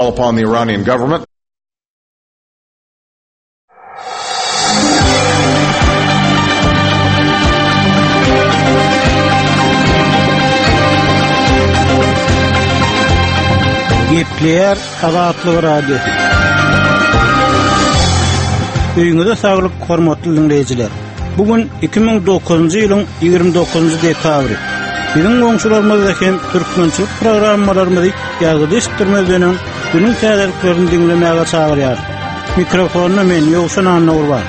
Upon the Iranian government. Gepleýär Azatlyk Radiosy. Öýüňize saglyk, hormatly diňleýjiler. Bu gün 2009-njy ýylyň 29-njy dekabry. Biziň goňşularymyzda hem türkmençilik programmalarymyzy ýazgyda eşitdirmezden öň günüň täzeliklerini diňlemäge çagyrýar. Mikrofonda men Ýowşan Annagurban.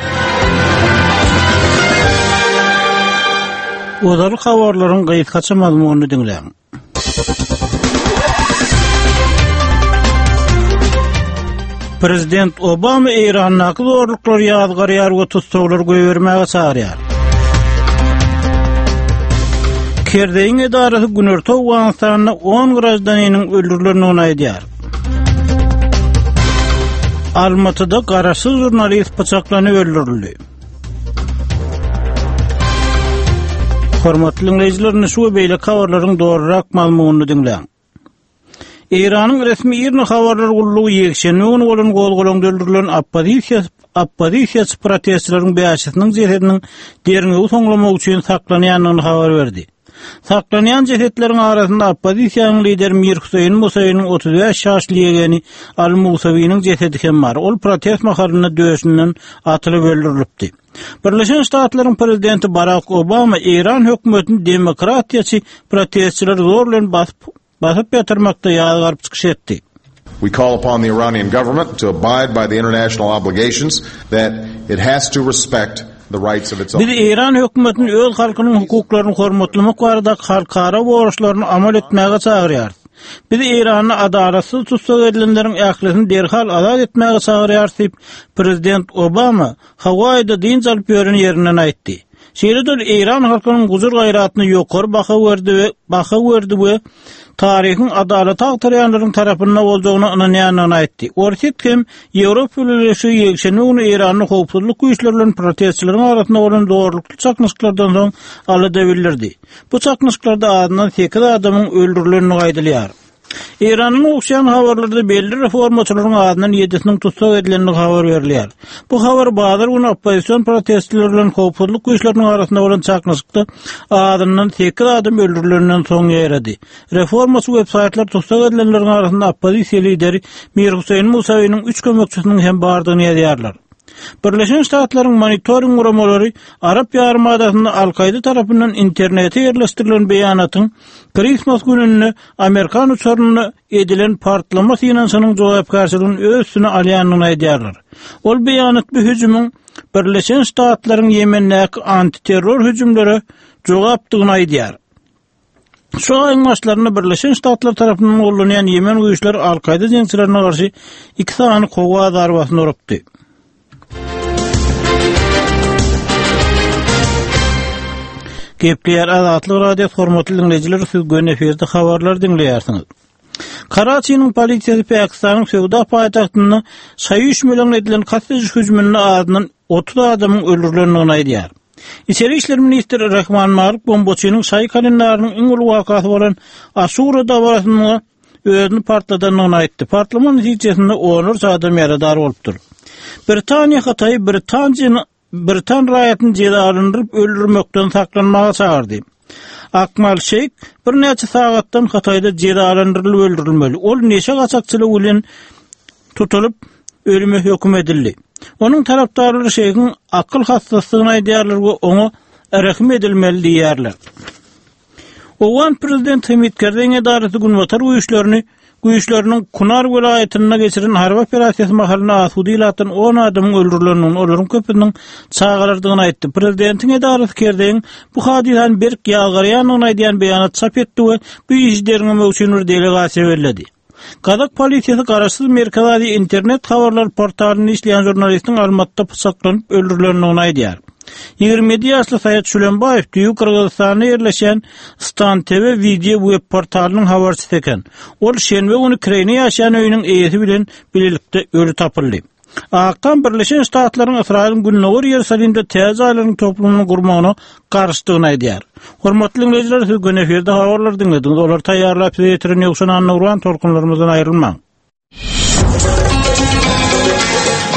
Ozal habarlaryň gysgaça mazmunyny diňläň. Prezident Obama Eýrandaky zorluklary ýazgarýar we tussaglary goýbermäge çagyrýar. Kerzeýiň edarasy Günorta Owganystanda 10 graždaniniň öldürilendigini aýdýar. Almatyda garaşsyz žurnalist pyçaklanyp öldürildi. Hormatly diňleýjiler, indi şu we beýleki habarlaryň dolurak mazmunyny diňläň. Eýranyň resmi IRNA habarlar gullugy ýekşenbe güni bolan gozgalaňda öldürilen oppozisiýa oppozisiýaçy protestçileriň bäşisiniň jesediniň derňewi soňlamak üçin saklanýandygyny habar berdi. Saklanýan jesetleriň arasynda oppozisiýanyň lideri Mir Hüseýin Musaýynyň 35 ýaşly ýegeni Aly Musawiniň jesedi hem bar. Ol protest mahalynda döşünden atylyp öldürilipdi. Birleşen Ştatlaryň prezidenti Barak Obama Eýran hökümetini demokratiýaçy protestçileri zor bilen basyp basyp ýatyrmakda ýazgaryp çykyş etdi. We call upon the Iranian government to abide by the international obligations that it has to respect the rights of its Biz Eýran hökümetini öz halkynyň hukuklaryny hormatlamak baradaky halkara borçlaryny amal etmäge çagyrýarys. Biz Eýranda adalatsyz tussag edilenleriň ählisini derhal azat etmäge çagyrýarys diýip, prezident Obama Hawaýida dynç alyp ýören ýerinden aýtdy. Şeýle-de ol eýran halkynyň gujur-gaýratyna ýokary baha berdi we baha berdi we taryhyň adalaty agtarýanlaryň tarapynda boljagyna ynanýandygyny aýtdy. Orsýet hem Ýewropa Bileleşigi ýekşenbe güni Eýranda howpsuzlyk güýçleri bilen protestçileriň arasynda bolan zorlukly çaknyşyklardan soň alada bildirdi. Bu çaknyşyklarda azyndan sekiz adamyň öldürilendigi aýdylýar. Eýrandan gowuşýan habarlarda belli reformaçylaryň azyndan ýedisiniň tussag edilendigi habar berilýär. Bu habar bazar güni oppozision protestçiler bilen howpsuzlyk güýçleriniň arasynda bolan çaknyşykda azyndan sekiz adam öldürilenden soň ýaýrady. Reformaçy websaýtlar tussag edilenleriň arasynda oppozisiýa lideri Mir Huseýn Musawiniň üç kömekçisiniň hem bardygyny ýazýarlar. Birleşen Ştatlaryň monitoring guramalary Arap ýarymadasynda Al-Kaýda tarapyndan internete ýerleşdirilen beýanatyň Kristmas gününde amerikan uçarynda edilen partlama synanyşygynyň jogapkärçiligini öz üstüne alýandygyny aýdýarlar. Ol beýanat bu hüjümiň Birleşen Ştatlaryň Ýemendäki antiterror hüjümlere jogapdygyny aýdýar. Şu aýyň başlarynda Birleşen Ştatlar tarapyndan gollanýan Ýemen güýçleri Al-Kaýda jeňçilerine garşy iki sany howa zarbasyny urupdy. Gepleýär Azatlyk Radiosy hormatly diňleýjiler siz göni efirde habarlary diňleýärsiňiz. Karaçiniň polisiýasy Pakistanyň söwda paýtagtynda şaýy üýşmeleňine edilen kast ediş hüjüminde azyndan 30 adamyň öldürilendigini aýdýar. Içeri işler ministri Rahman Malik bombaçynyň şaýy kalendarynyň iň uly wakasy bolan Aşura dabarasynda özüni partladandygyny aýtdy. Partlama netijesinde onlarça adam ýaradar bolupdyr. Britaniýa Hytaýy britan britan raýatyny jezalandyryp öldürmekden saklanmaga çagyrdy. Akmal Şeýh birnäçe sagatdan Hytaýda jezalandyrylyp öldürilmeli. Ol neşe gaçakçylygy bilen tutulyp, ölüme höküm edildi. Onuň tarapdarlary Şeýhiň akyl hassasydygyny aýdýarlar we oňa rehim edilmeli diýýärler. Owgan prezidenti Hamid Kerzeýiň edarasy günbatar güýçlerini güýçleriniň Kunar welaýatynda geçiren harby operasiýasy mahalynda asuda ilatdan on adamyň öldürilendigini, olaryň köpüsiniň çagalardygyny aýtdy. Prezidentiň edarasy Kerzeýiň bu hadysany berk ýazgarýandygyny aýdýan beýanat çap etdi we bu işi derňemek üçin bir delegasiýa belledi. Gazak polisiýasy garaşsyz Merkezi Aziýa internet habarlar portalynda işleýän žurnalistiň Almatyda pyçaklanyp öldürilendigini aýdýar. 27 ýaşly Saýat Şülenbaýew düýbi Gyrgyzystanda ýerleşýän Stan TV wideo web portalynyň habarçysy eken. Ol şenbe güni kireýine ýaşaýan öýüniň eýesi bilen bilelikde öli tapyldy. Ak Tam Birleşen Ştatlaryň Ysraýylyň Gündogar Ýerusalimde täze jaýlaryň toplumyny gurmagyna garşydygyny aýdýar. Hormatly diňleýjiler, siz göni efirde habarlary diňlediňiz. Olary taýýarlap size ýetiren Ýowşan Annagurban tolkunlarymyzdan aýrylmaň.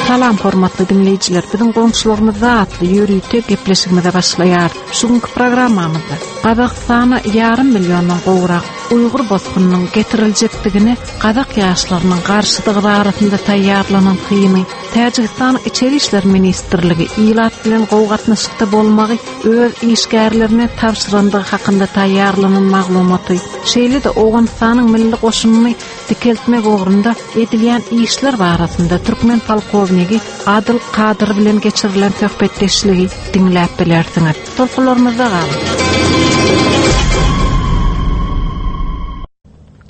Salam hormatly diňleýjiler, biziň goňşularymyzda atly ýörite gepleşigimize başlaýarys. Şu günki programmamyzda Gazagystana ýarym milliondan gowrak uýgur bosgunynyň getiriljekdigine gazak ýaşlarynyň garşydygy barasynda taýýarlanan syny, Täjigistanyň Içeri işler ministrligi ilat bilen gowy gatnaşykda bolmagy öz işgärlerine tabşyrandygy hakynda taýýarlanan maglumaty, şeýle-de Owganystanyň milli goşunyny dikeltmek ugrunda edilýän işler barasynda türkmen polkownigi Adyl Kadyr bilen geçirilen söhbetdeşligi diňläp bilersiňiz. Tolkunlarymyzda galyň!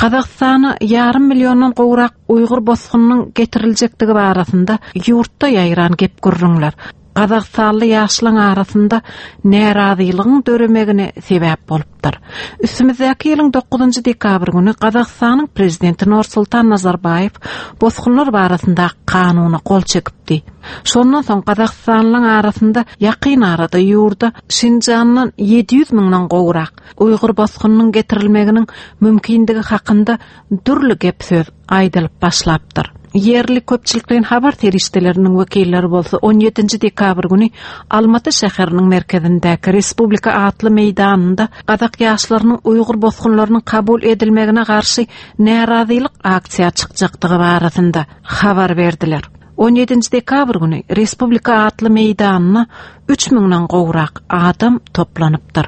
Gazagystana ýarym milliondan gowrak uýgur bosgunynyň getiriljekdigi barasynda ýurtda ýaýran gep-gürrüňler gazagystanly ýaşlaryň arasynda närazylygyň döremegine sebäp bolupdyr. Üstümizdäki ýylyň dokuzynjy dekabr güni Gazagystanyň prezidenti Nursultan Nazarbaýew bosgunlar barasyndaky kanuna gol çekipdi. Şondan soň gazagystanlylaryň arasynda ýakyn arada ýurda Şinjandan 700 müňden gowrak uýgur bosgunynyň getirilmeginiň mümkindigi hakynda dürli gep-söz aýdylyp başlapdyr. Ýerli köpçülikleýin habar serişdeleriniň wekilleri bolsa on ýedinji dekabr güni Almaty şäheriniň merkezindäki Respublika atly meýdanynda gazak ýaşlarynyň uýgur bosgunlarynyň kabul edilmegine garşy närazylyk aksiýa çykjakdygy barasynda habar berdiler. On ýedinji dekabr güni Respublika atly meýdanyna üç müňden gowrak adam toplanypdyr.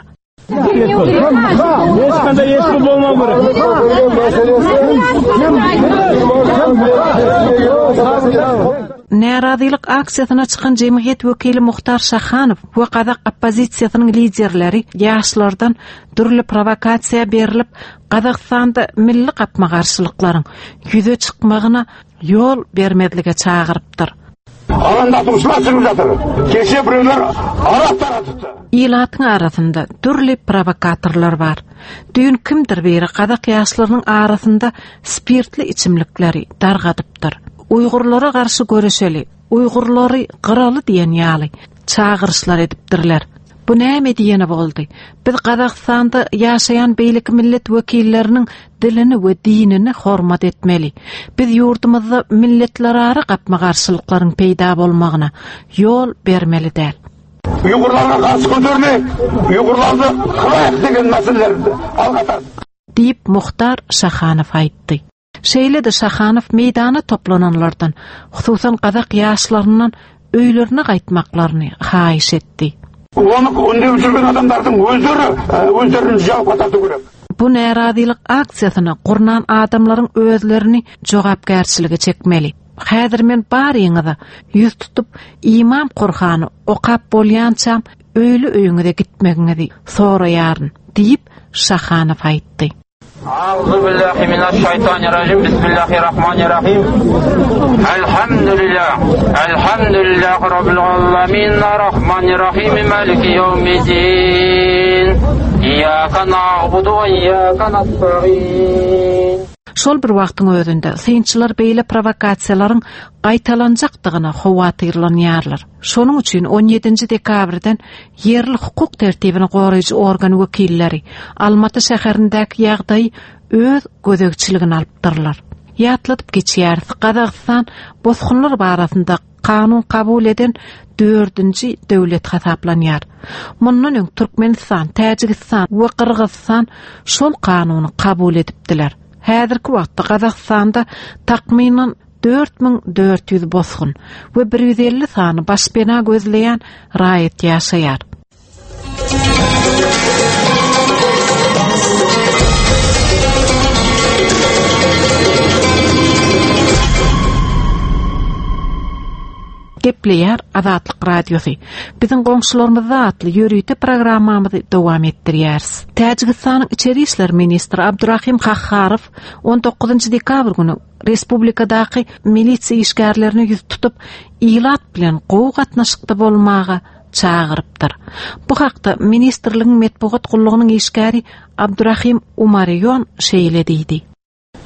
Närazylyk aksiýasyna çykan jemgyýet wekili Muhtar Şahanow we gazak oppozisiýasynyň liderleri ýaşlardan dürli prowokasiýa berlip, Gazagystanda milli gapma-garşylyklaryň ýüze çykmagyna ýol bermezlige çagyrypdyr. Alandatuşlar çykyp ýatyr. Keşe birewler arak daratypdyr. Ilatyň arasynda dürli prowokatorlar bar. Düýn kimdir biri gazak ýaşlarynyň arasynda spirtli içimlikleri dargadypdyr. Uýgurlara garşy göreşeli, uýgurlary gyraly diýen ýaly çagyryşlar edipdirler. Bu näme diýeni boldy? Biz Gazagystanda ýaşaýan beýleki millet wekilleriniň dilini we dinini hormat etmeli. Biz ýurdumyzda milletlerara gapma-garşylyklaryň peýda bolmagyna ýol bermeli däl. Uýgurlarga garşy göterilip, uýgurlardy gyraýyk diýen meseleleri alga tartdy. Diýip, Muhtar Şahanow aýtdy. Şeýle-de Şahanow meýdana toplananlardan, hususan gazak ýaşlaryndan öýlerine gaýtmaklaryny haýyş etdi. Ony ündep jürgen adamlardyň özleri özlerini jogapka tartyp gerek. Bu närazylyk aksiýasyny gurnan adamlaryň özlerini jogapkärçilige çekmeli. Häzir men baryňyza ýüz tutup, Imam Kurhany okap bolýançam öýli-öýüňize gitmegiňizi soraýaryn diýip, Şahanow aýtdy. Auzubillahi minaşşaýtanirrajim. Bismillahirrahmanirrahim. Elhamdülillah. Elhamdülillahi rabbil alamin. Arrahmanirrahim. Maliki ýewmiddin. Iyyaka na'budu we iyyaka nasta'in. Şol bir wagtyň özünde, synçylar beýle prowokasiýalaryň gaýtalanjakdygyna howatyrlanýarlar. Şonuň üçin on ýedinji dekabrdan ýerli hukuk tertibini goraýjy organ wekilleri Almaty şäherindäki ýagdaýy öz gözegçiligine alypdyrlar. Ýatladyp geçýäris, Gazagystan bosgunlar barasynda kanun kabul eden dördünji döwlet hasaplanýar. Mundan öň Türkmenistan, Täjigistan we Gyrgyzystan şol kanuny kabul edipdiler. Häzirki wagtda Gazagystanda takmynan 4400 bosgun we 150 sany başpena gözleýän raýat ýaşaýar. Gepleýär Azatlyk Radiosy. Biziň goňşularymyzda atly ýörite programmamyzy dowam etdirýäris. Täjigistanyň içeri işler ministri Abdurahim Kahharow 19 dekabr güni respublikadaky milisiýa işgärlerine ýüz tutup, ilat bilen gowy gatnaşykda bolmaga çagyrypdyr. Bu hakda ministrligiň metbugat gullugynyň işgäri Abdurahim Umariýon şeýle diýdi.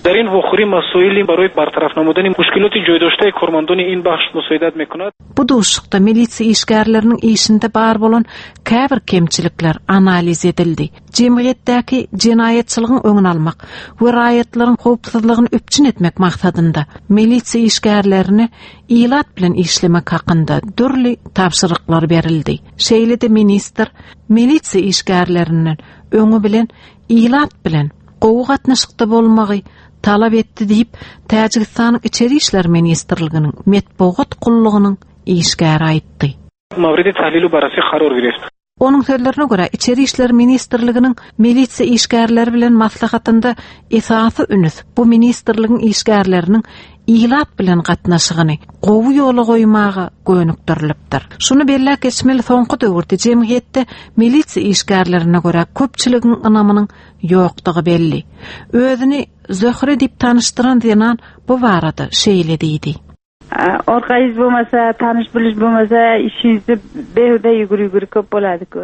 Дар ин вохӯрӣ масоили барои бартараф намудани мушкилоти ҷойдоштаи кормандони ин бахш мусоидат мекунад. Bu duşuşykda milisiýa işgärleriniň işinde bar bolan käbir kemçilikler analiz edildi. Jemgyýetdäki jenaýatçylygyň öňüni almak we raýatlaryň howpsuzlygyny üpjün etmek maksadynda milisiýa işgärlerine ilat bilen işlemek hakynda dürli tabşyryklar berildi. Şeýle-de ministr milisiýa işgärlerinden öňi bilen ilat bilen gowy gatnaşykda bolmagy talap etdi diýip, Täjigistanyň Içeri işler ministrliginiň metbugat gullugynyň işgäri aýtdy. Mawridi tahlil barrasy qaror gireft. Onuň sözlerine görä, Içeri işler ministrliginiň milisiýa işgärleri bilen maslahatynda esasy üns bu ministrligiň işgärleriniň ilat bilen gatnaşygyny gowy ýola goýmaga gönükdirilipdir. Şuny belläp geçmeli, soňky döwürde jemgyýetde milisiýa işgärlerine görä köpçüligiň ynamynyň ýokdugy belli. Özüni Zöhre diýip tanyşdyran zenan bu barada şeýle diýdi. Orqangiz bo'lmasa, tanish bilish bo'lmasa, ishingizni behuda yugur yugur ko'p bo'ladi-ku.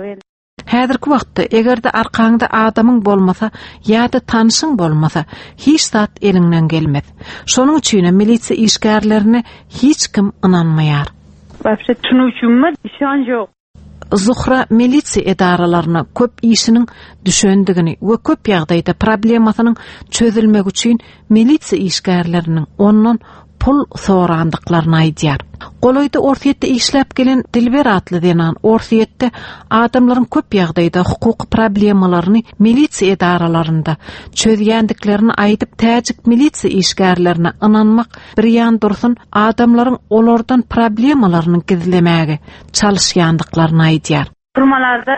Häzirki wagtda eger-de arkaňda adamyň bolmasa ýa-da tanşyň bolmasa, hiç zat eliňden gelmez. Şonuň üçinem milisiýa işgärlerine hiç kim ynanmaýar. Вообще tushunuvchimmi ishonch yo'q. Zuhra milisiýa edaralaryna köp işiniň düşendigini we köp ýagdaýda problemasynyň çözülmegi üçin milisiýa işgärleriniň ondan pul sorandyklaryny aýdýar. Golaýda Orsýetde işläp gelen Dilber atly zenan Orsýetde adamlaryň köp ýagdaýda hukuky problemalaryny milisiýa edaralarynda çözýändiklerini aýdyp, täjik milisiýa işgärlerine ynanmak bir ýan dursun, adamlaryň olardan problemalaryny gizlemäge çalyşýandyklaryny aýdýar. Turmalarda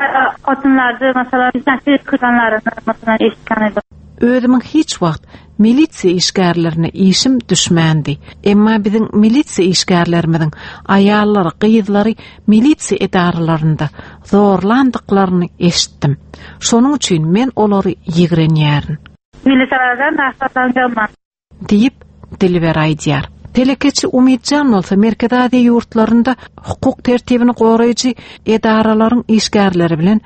xotinlarni masalan nasib qilganlarini masalan eshitgan edim. Özümiň hiç wagt milisiýa işgärlerine işim düşmändi. Emma biziň milisiýa işgärlerimiziň aýallary, gyzlary milisiýa edaralarynda zorlandyklaryny eşitdim. Şonuň üçin men olary ýigrenýärin. Militsiyalardan nafratlanganman. Diýip, Dilber aýdýar. Telekeçi Umytjan bolsa Merkezi Aziýa ýurtlarynda hukuk tertibini goraýjy edaralaryň işgärleri bilen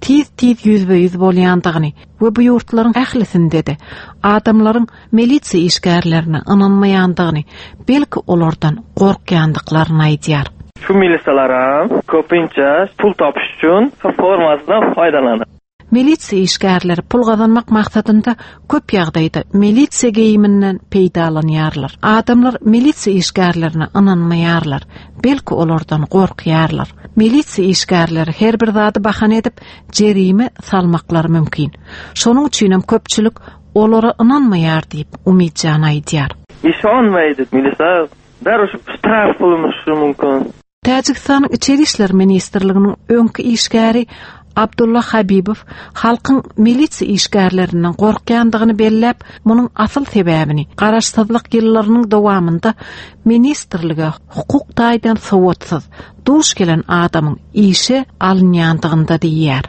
tiz-tiz ýüzbe-ýüz bolýandygyny we bu ýurtlaryň ählisinde-de adamlaryň milisiýa işgärlerine ynanmaýandygyny, belki olardan gorkýandyklaryny aýdýar. Şu milisiýalaram köpinçe pul tapyş üçin formasidan foýdalanýar. Milisiýa işgärleri pul gazanmak maksadynda köp ýagdaýda milisiýa geýiminden peýdalanýarlar. Adamlar milisiýa işgärlerine ynanmaýarlar, belki olardan gorkýarlar. Milisiýa işgärleri her bir zady bahana edip jerime salmaklary mümkin. Şonuň üçinem köpçülik olara ynanmaýar diýip, Umytjan aýdýar. Ishonmaydi milisiya darrov shtraf qilinishi mumkin. Täjigistanyň Içeri işler ministrliginiň öňki işgäri Abdulla Habibow halkyň milisiýa işgärlerinden gorkýandygyny belläp, munuň asyl sebäbini garaşsyzlyk ýyllarynyň dowamynda ministrlige hukuk taýdan sowatsyz, duş gelen adamyň işe alynýandygynda diýýär.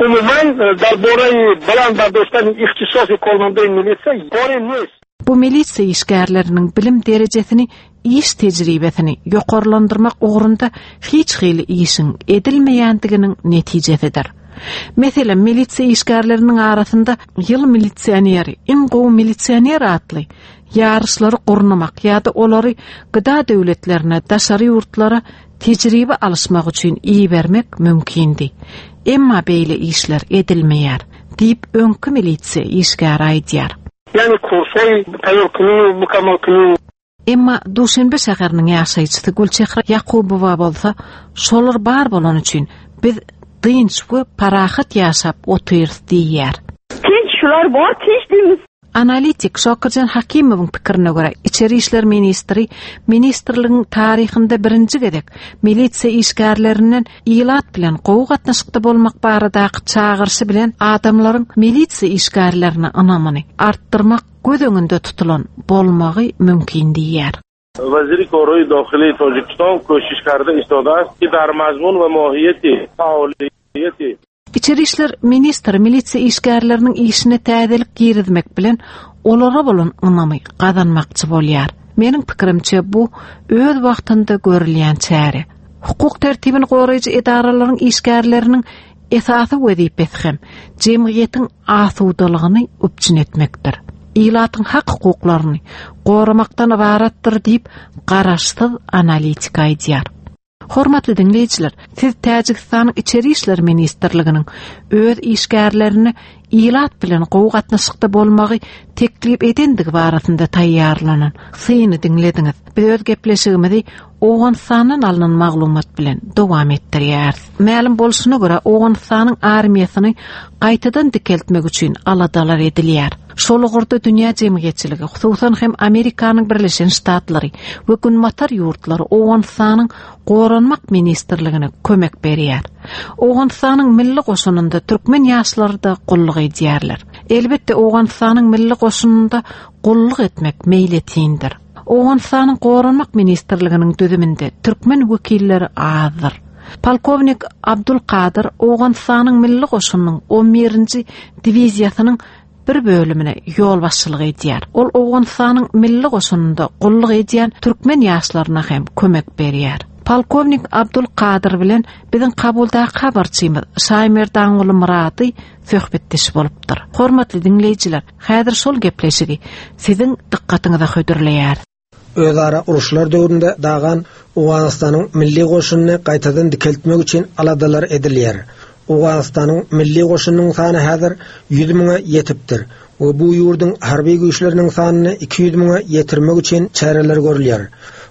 Umuman, dar boraýy baland bardoştani ihtisosi kormandoýi milisiýa kori nist. Bu milisiýa işgärleriniň bilim derejesini iş tejribesini ýokarlandyrmak ugrunda hiç hili işiň edilmeýändiginiň netijesidir. Meselem, milisiýa işgärleriniň arasynda Ýyl milisioneri, Iň gowy milisioner atly ýaryşlary gurnamak ýa-da olary gda döwletlerine, daşary ýurtlara tejribe alyşmak üçin ibermek mümkindi. Emma beýle işler edilmeýär, diýip, öňki milisiýa işgäri aýdýar. Ýagny kursoý taýýar kylýu, mukammal kylýu. Emma Duşenbe şäheriniň ýaşaýjysy Gülçehre Ýakubowa bolsa, Şolar bar bolany üçin biz dynç we parahat ýaşap otyrys diýýär. Tinç şular bor tinç diýmiz. Analitik Şokirjan Hakimowyň pikirine görä, içeri işler ministri ministrligiň taryhynda birinji gezek milisiýa işgärlerinden ilat bilen gowy gatnaşykda bolmak baradaky çagyryşy bilen adamlaryň milisiýa işgärlerine ynamyny artdyrmak göz öňünde tutulan bolmagy mümkin diýýär. Weziri Korhoýy Dahyly Tojikistan köşiş karda istodaast ki dar mazmun we mohiýeti faoliýeti. Içeri işler ministri milisiýa işgärleriniň işine täzelik girizmek bilen olara bolan ynamy gazanmakçy bolýar. Meniň pikirimçe bu öz wagtynda görülýän çäre. Hukuk tertibini goraýjy edaralaryň işgärleriniň Esasy wezipesi hem jemgyýetiň asudalygyny üpjün etmekdir. ilatyň hak-hukuklaryny goramakdan ybaratdyr diýip, garaşsyz analitik aýdýar. Hormatly diňleýjiler, siz Täjigistanyň Içeri işler ministrliginiň öz işgärlerine ilat bilen gowy gatnaşykda bolmagy teklip edendigi barasynda taýýarlanan syny diňlediňiz. Biz öz gepleşigimizi Owganystandan alnan maglumat bilen dowam etdirýäris. Mälim bolşuna görä, Owganystanyň armiýasyny gaýtadan dikeltmek üçin aladalar edilýär. Şol ugurda dünýä jemgyýetçiligi, hususan hem Amerikanyň Birleşen Ştatlary we Günbatar ýurtlary Owganystanyň Goranmak ministrligine kömek berýär. Owganystanyň milli goşunynda türkmen ýaşlary-da gulluk edýärler. Elbetde, Owganystanyň milli goşunynda gulluk etmek meýletindir. Owganystanyň Goranmak ministrliginiň düzüminde türkmen wekilleri azdyr. Polkownik Abdul Kadyr Owganystanyň milli goşunynyň on birinji diwiziýasynyň bir bölümine ýolbaşçylyk edýär. Ol Owganystanyň milli goşunynda gulluk edýän türkmen ýaşlaryna hem kömek berýär. Polkownik Abdul Kadyr bilen biziň Kabuldaky habarçymyz Şaýmerdanguly Myrady söhbetdeş bolupdyr. Hormatly diňleýjiler, häzir şol gepleşigi siziň dykgatyňyza hödürleýäris. Özara uruşlar döwründe dagan Owganystanyň milli goşunyny gaýtadan dikeltmek üçin aladalar edilýär. Owganystanyň milli goşunynyň sany häzir 100 müňe ýetipdir we bu ýurduň harby güýçleriniň sanyny 200 müňe ýetirmek üçin çäreler görülýär.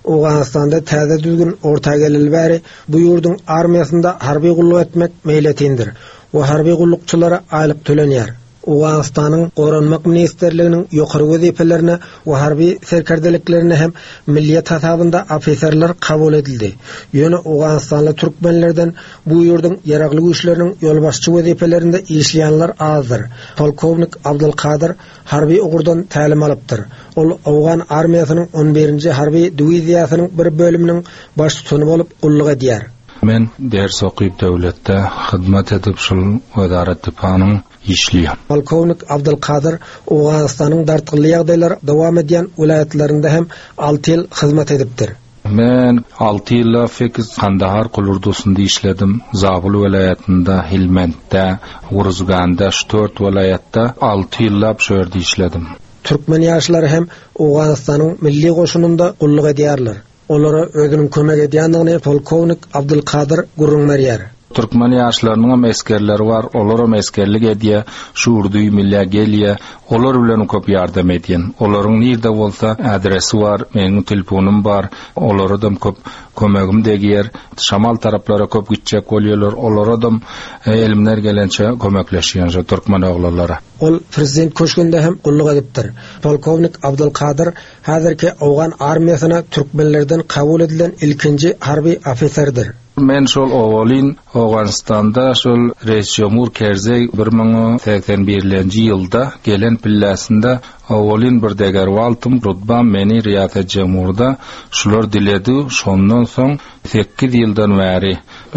Owganystanda täze düzgün orta geleli bäri bu ýurduň armiýasynda harby gulluk etmek meýletindir we harby gullukçylara aýlyk tölenýär. Owganystanyň Goranmak ministrliginiň ýokary wezipelerine we harby serkerdeliklerine hem milliýet hasabynda ofiserler kabul edildi. Ýöne owganystanly türkmenlerden bu ýurduň Ýaragly Güýçleriniň ýolbaşçy wezipelerinde işleýänler azdyr. Polkownik Abdulkadyr harby ugurdan tälim alypdyr. Ol owgan armiýasynyň on birinji harby diwiziýasynyň bir bölüminiň baştutany bolup gulluk edýär. Men ders okyp döwletde hyzmat edip şul wezaret dipanyň işleýän. Polkownik Abdulkadyr Owganystanyň dartgynly ýagdaýlar dowam edýän welaýatlarynda hem alty ýyl hyzmat edipdir. Men alty ýyllap sekiz Kandahar kulurdusynda işledim, Zabul welaýatynda, Hilmentde, Uruzganda şu tört welaýatda alty ýyllap şu ýerde işledim. Türkmen ýaşlary hem Owganystanyň milli goşunynda gulluk edýärler. Olara özüniň kömek edýändigini polkownik Abdulkadyr gürrüň berýär. Türkmen ýaşlarynyňam esgerleri bar, olaram esgerlik edýä, şu urduý millä gelýä, olar bilenem köp ýardam edýän. Olaryň nirde bolsa adresi bar, meniň telponym bar, olaradam köp kömegim degýär. Şamal taraplara köp gitjek bolýarlar, olaradam elimden gelençe kömekleşýän şo türkmen oglanlara. Ol prezident köşgünde hem gulluk edipdir. Polkownik Abdulkadyr Häzirki owgan armiýasyna türkmenlerden kabul edilen ilkinji harby ofiserdir. Men şol owalyn Owganystanda şol Reisjomhur Kerzeý 1081-lenji ýylda gelen pilläsinde owalyn bir degerwaltym rutbam meni Riýasetjemhurda şular diledi şondan soň sekiz ýyldan bäri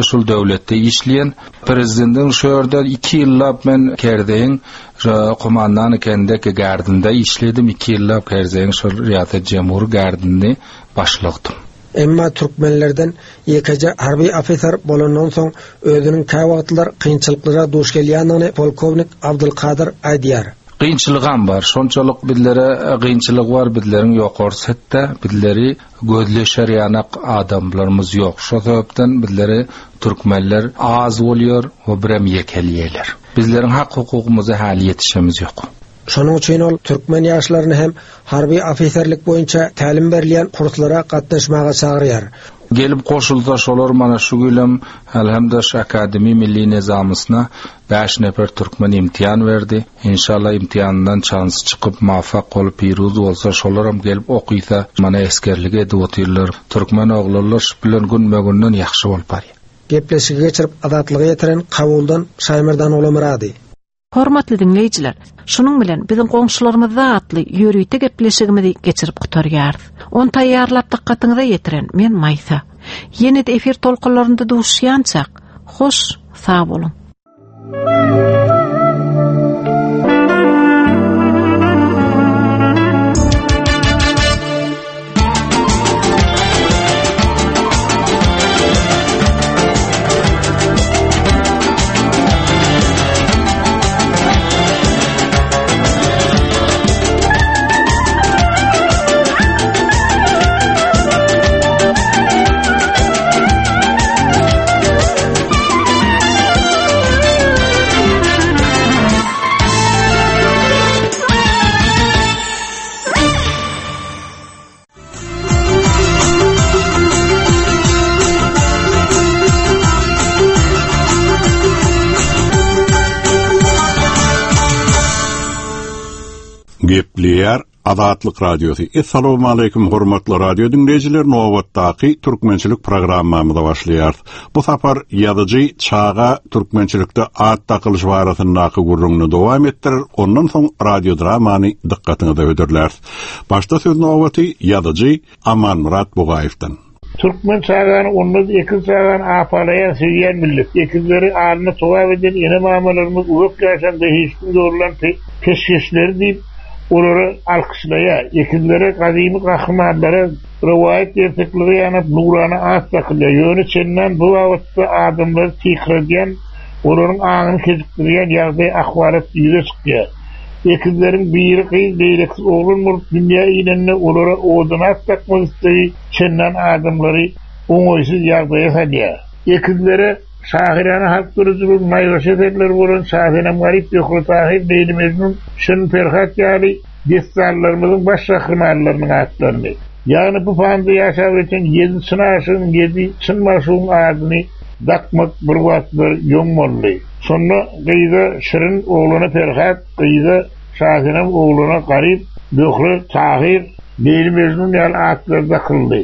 şul döwletde işleýän. Prezidendiň şu ýerde iki ýyllap men Kerzeýiň şo komandany kendeki gärdinde işledim, iki ýyllap Kerzeýiň şol Riýasat Jemhur gärdinde başlykdym. Emma türkmenlerden ýekeje harby ofiser bolandan soň özüniň käwagtlar kynçylyklara duş gelýändigini polkownik Abdulkadyr aýdýar. Kynçylygam bar. Şonçalyk bizlere kynçylyk bar, bizleriň ýokarsy hetde bizleri Gözleşer ýanak adamlarymyz ýok. Şo sebäpden bizleri türkmenler az bolýar we birem ýekelýeler. Bizleriň hak hukugymyza häli ýetişemiz ýok. Şonuň üçin ol türkmen ýaşlaryny hem harby ofiserlik boýunça tälim berilýän kurslara gatnaşmaga çagyrýar. Gelip goşulsa şolar mana şu gülem Alhamda şu akademi milli nezamysyna Bäş nefer türkmen imtihan berdi. Inşallah imtihanyndan çansy çykyp muvaffak bolup piruz bolsa şolaram gelip okysa mana esgerlik edip otyrlar. Türkmen oglanlar şu bilen günbe günden ýahşy bolup barýar. Gepleşigi geçirip Azatlyga ýetiren Kabuldan Şaýmerdan Oglamyrady. Hormatly diňleýjiler, şunuň bilen biziň goňşularymyzda atly ýörite gepleşigimizi geçirip gutarýarys. Ony taýýarlap dykgatyňyza ýetiren men Maýsa. Ýene-de efir tolkunlarynda duşuşýançak, hoş sag boluň. Azatlyk Radiosy, Essalawmaleýkim hormatly radio diňleýjiler nobatdaky türkmençilik programmamyza başlaýarys. Bu sapar ýazyjy çaga türkmençilikde at dakylyş barasyndaky gürrüňini dowam etdirer, ondan soň radiodramany dykgatyňyza hödürläris. Başda söz nobaty ýazyjy Amanmyrat Bugaýewden. Türkmen çagany onda-da ekiz çagany apalaýan, söýýän millet. Ekizleri alnyna togap eden ene-mamalarymyz uzak ýaşan behişdiň dogrulan peşgeşleri diýip, olary alkyşlaýar. Ekizlere, gadymy gahrymanlara, rowaýat ertekilere ýanap nurana at dakylýar. Ýöne çendan bu babatda adamlary tyýkyradýan, olaryň aňyny kejikdirýän ýagdaý, ahwalat ýüze çykýar. Ekizleriň biri gyz, beýlekisi oglan bolup dünýä inende olara owadan at dakmak islegi çendan adamlary oňaýsyz ýagdaýa salýar. Ekizlere şahyrana halk döredijiliginiň naýbaşy eserleri bolan Şasenem-Garyp, Zöhre-Tahyr, Leýli-Mejnun, Şirin-Perhat ýaly dessanlarymyzyň baş gahrymanlarynyň atlaryny, ýagny bu panyda ýaşap öten ýedi çyn aşygyň, ýedi çyn magşugyň adyny dakmak bir wagtlar ýoň boldy. Şonda gyza Şirin, oglana Perhat, gyza Şasenem, oglana Garyp, Zöhre, Tahyr, Leýli-Mejnun ýaly atlar dakyldy.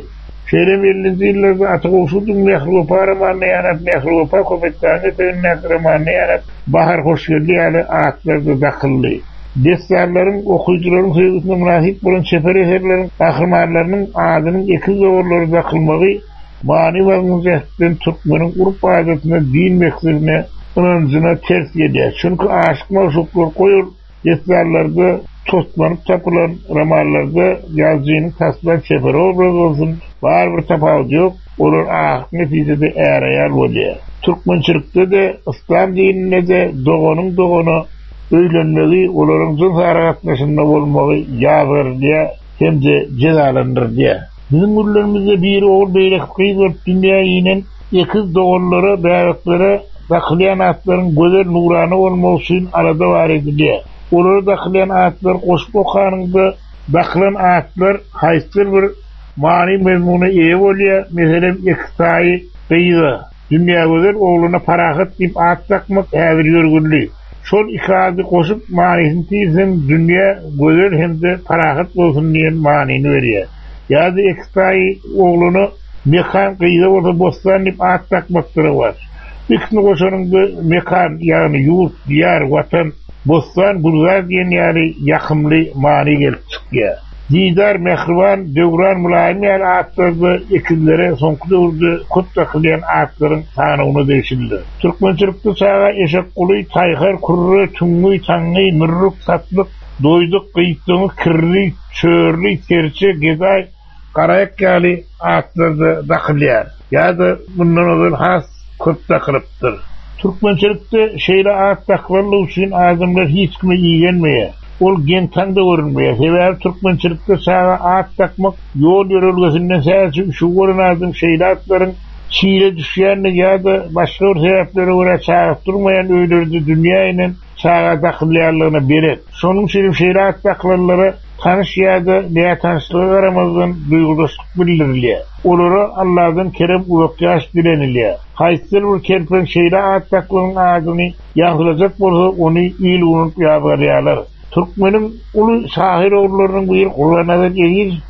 Şeýle hem ellinji ýyllarda Ata Gowşudyň Mähri-Wepa romanyna ýanap, Mähri-Wepa Köpetdagyň etegindäki romanyna ýanap, Bahar Hoşgeldi ýaly atlar-da dakyldy. Dessanlaryň, okyjylaryň söýgüsine mynasyp bolan çeper eserleriň gahrymanlarynyň adynyň ekiz doganlara dakylmagy many-mazmun jähtden türkmeniň urp-adatyna, din mekdebine, ynanjyna ters gelýär. Çünki aşyk-magşuklar goý ol dessanlarda toslanyp tapylan, romanlarda ýazyjynyň taslan çeper obrazy bolsun, barybir tapawudy ýok, olar ahyrky netijede är-aýal bolýar. Türkmençilikde-de, yslam dininde-de doganyň dogana öýlenmegi, olaryň jyns aragatnaşygynda bolmagy ýazgarylýar hem-de jezalandyrylýar. Biziň günlerimizde biri ogul, beýlekisi gyz bolup dünýä inen ekiz doganlara, bäbeklere dakylýan atlaryň gözel, nurana bolmagy üçin alada bar edilýär. Olara dakylýan atlary goşup okanyňda, dakylan atlar haýsydyr bir many-mazmuna eýe bolýar, meselem, ekiztaýy gyza, Dünýägözel ogluna Parahat diýip at dakmak häzir ýörgünli. Şol iki ady goşup manysyny tirseň Dünýä gözel hem-de parahat bolsun diýen manyny berýär. Ýa-da ekiztaýy oglana Mekan, gyza bolsa Bossan diýip at dakmakda rowaç. Bu ikisini goşanyňda Mekan, ýagny ýurt, diýar, Watan, Bossan, gülzar diýen ýaly ýakymly many gelip çykýar. Didar, Mähriban, Döwran, Mylaýym ýaly atlar-da ekizlere soňky döwürde köp dakylýan atlaryň sanawyna degişlidir. Türkmençilikde çaga Eşekguly, Taýhar, Kürre, Tüňňi, Taňňy, Mürrük, Satlyk, Doýduk, Gyýtdyňy, Kirli, Çörli, Serçe, Gedaý, Garaýak ýaly atlar-da dakylýar. Ýa-da mundan ozal has köp dakylypdyr. Türkmençilikde şeýle at dakylanlygy üçin adamlar hiç kime igenmeýär. Ol geň-taň-da görünmeýär. Sebäbi türkmençilikde çaga at dakmak ýol-ýörelgesinden sähelçe üşügi bolan adam şeýle atlaryň çile düşýändigi ýa-da başga bir sebäplere görä çagasy durmaýan öýlerde dünýä inen çaga dakylýanlygyna belet. Şonuň üçinem şeýle at dakylanlara tanyş ýa-da nätanyşlyga garamazdan duýgudaşlyk bildirilýär. Olara Alladan kerem uzak ýaş dilenilýär. Haýsydyr bir kerpen şeýle at dakylanyň adyny ýaňsylajak bolsa, ony il unup ýazgarýarlar. Türkmeniň uly şahyr ogullarynyň biri Gurbannazar Ezizow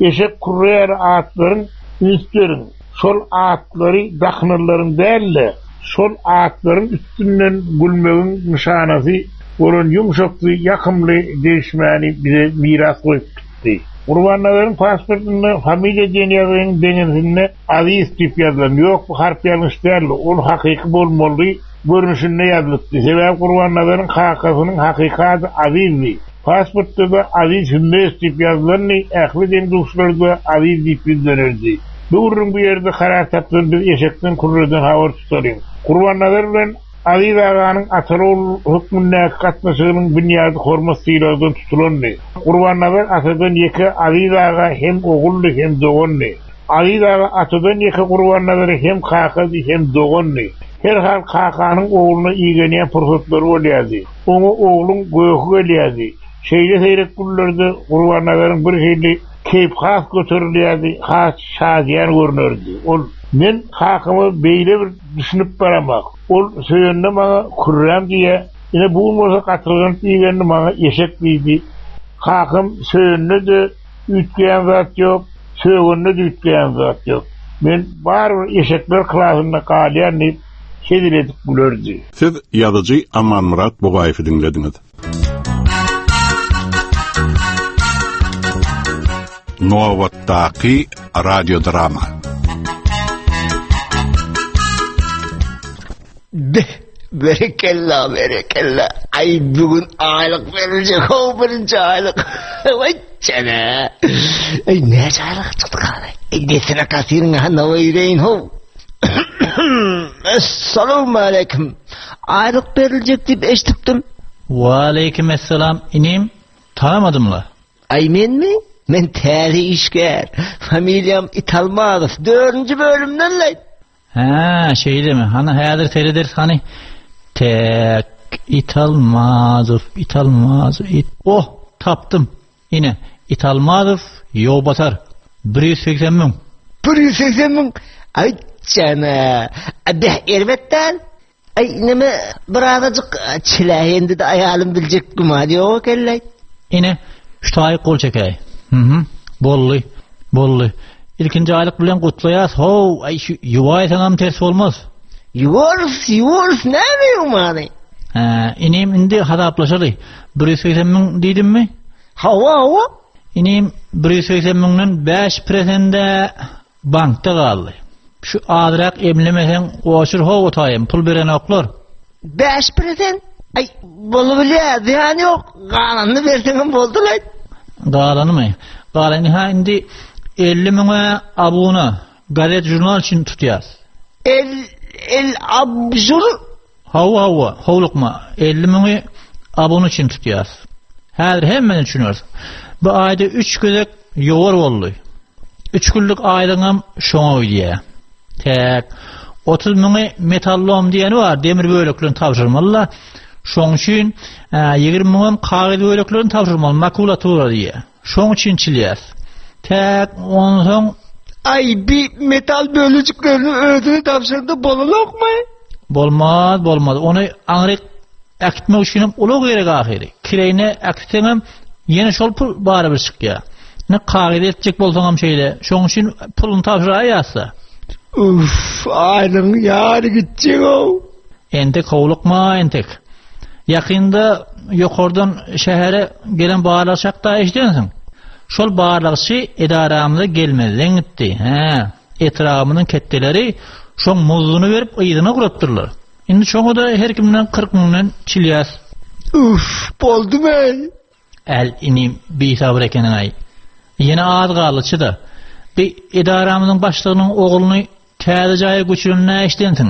Eşek kürre ýaly atlaryň üns beriň, şol atlary dakynanlaryň däl-de, şol atlaryň üstünden gülmegiň nyşanasy bolan ýumşaksy, ýakymly degişmäni bize miras goýup gitdi. Gurbannazaryň pasportynda familiýa diýen ýazgynyň deňesinde Aziz diýip ýazylan. Ýok, bu harp ýalňyş däldi. Ol hakyky bolmaly görnüşinde ýazylypdy. Sebäbi Gurbannazaryň kakasynyň hakyky ady Azizdi. Pasportda-da Aziz Hümmedow diýip ýazylandy, ähli deň-duşlary-da Aziz diýip ýüzlenerdi. Bu gürrüň bu ýerde karar tapsyn, biz eşekden, kürreden habar tutalyň. Gurbannazar bilen Aziz aganyň ataly-ogul hökmündäki gatnaşygynyň binýady hormat-sylagdan tutulandy. Gurbannazar atadan ýeke Aziz aga hem oguldy, hem dogandy. Aziz aga atadan ýeke Gurbannazara hem kakady, hem dogandy. Herhal kakanyň ogluna igenýän pursatlary bolýardy. Oňa ogluň göhi gelýärdi. Şeýle seýrek günlerde Gurbannazaryň birhili keýpi has göterilýärdi, has şadyýan görünerdi. Ol, Men kakama beýle bir düşünip baramak. Ol söýende maňa kürräm diýýär. Ine, bu gün bolsa gatyrganyp iýenini maňa eşek diýdi. Kakam söýende-de üýtgeýän zat ýok, sögende-de üýtgeýän zat ýok. Men barybir eşekler klasynda galýan diýip, hezil edip gülerdi. Siz ýazyjy Amanmyrat Bugaýewi diňlediňiz. Nobatdaky radiodrama. Beh, berekella, berekella. Aý, bu gün aýlyk beriljek, how birinji aýlyk. Waý, jana. Aý, näçe aýlyk çykdy gana? Aý, desine kasyryň hanawa ýüreýin, how. Assalamu aleýkum. Aýlyk beriljek diýip eşidipdim. Waleýkim esselam, inim. Tanamadym-la. Aý, menmi? Men täze işgär. Familiýam Italmazow. Dördünji bölümden-le. Hä, şeýlemi? Hany häzir serederis hany. Täk, Italmazow, Italmazow, it. Oh, tapdym. Ine, Italmazow Ýowbatar. 180 müň. 180 müň? Aý, jana. Beh, erbet däl. Aý, neme, birazajyk çiläýende-de aýalym biljek güman ýok eken-leý. Ine, şu taýy gol çekäý. Mhm. Boldy. Boldy. Ilkinji aýlyk bilen gutlaýas. How, aý şu ýuwaýsaňam ters bolmaz. Ýuwarys, ýuwarys, näme ýuwmany? Hä, inim indi hasaplaşaly. 180 müň diýdimmi? Hawa, hawa. Inim 180 müňden 5 presende Bankda galdy. Şu azrak emlemeseň goşur how otaýym, pul berenoklar. 5%? Aý, bolubilýär, zyýany ýok. Galanyny berseňem boldy-laý. Galanymy? Galany ha indi 50 müňe abuna, gazet žurnal üçin tutýas. El, el abjur? Hawa, hawa, howlukma. 50 müňi abuna üçin tutýas. Häzir hemmesini düşünersiň. Bu aýda 3 gezek ýowar boldy. Üç günlük aýlygyňam şoňa gidýär. Täk 30 müňi metallom diýeni bar, demir böleklerini tabşyrmaly-da. Şoň üçin 20 müňem kagyz böleklerini tabşyrmaly, makulatura diýýär. Şoň üçin çilýäs. Täk onsoň Aý, bi metal bölejiklerini özüni tabşyrdy bolanokmy? Bolmaz, bolmaz. Ony aňryk äkitmek üçinem ulag gerek ahyry. Kireýine äkitseňem ýene şol pul barybir çykýar. Ine kagyz eltjek bolsaňam şeýle. Şoň üçin puluny tabşyraýýas-da. Uff, aýlygyň ýary gitjeg-ow. Entek howlukma, entek. Ýakynda ýokardan şähere gelen barlagçy hakda eşidensiň. Şol barlagçy edaramyza gelmezden gitdi. Hä, etrabymyzyň ketdeleri şoň muzduny berip yzyna gurapdyrlar. Indi şoňa-da her kimden 40 müňden çilýäs. Üf, boldumy-eý? Äl, inim, bisabyr ekeniň-aý. Ýene az galdy, çyda. Bi edaramyzyň başlygynyň ogluny täze jaýa göçürenini eşidensiň.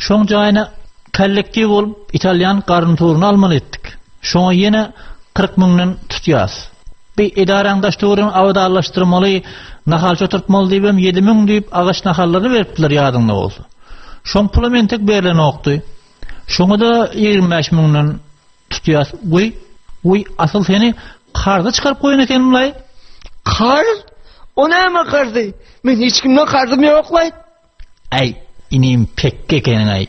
Şoň jaýyna kollektiw bolup italýan garnituryny almaly etdik. Şoňa ýene 40 müňden tutýas. Bi edaraň daş-töweregini abadanlaşdyrmaly, nahalça oturtmaly diýibem 7000 diýip agaç nahallaryny beripdiler ýadyňda bolsa. Şoň pulam entek berlenokdy. Şoňa-da 25 müňden tutýas. Goý, goý, asyl seni karza çykaryp goýan ekenim-laý. Karz? O näme karzy? Men hiç kimden karzym ýok-laý. Äý, inim pekge ekeniň-aý.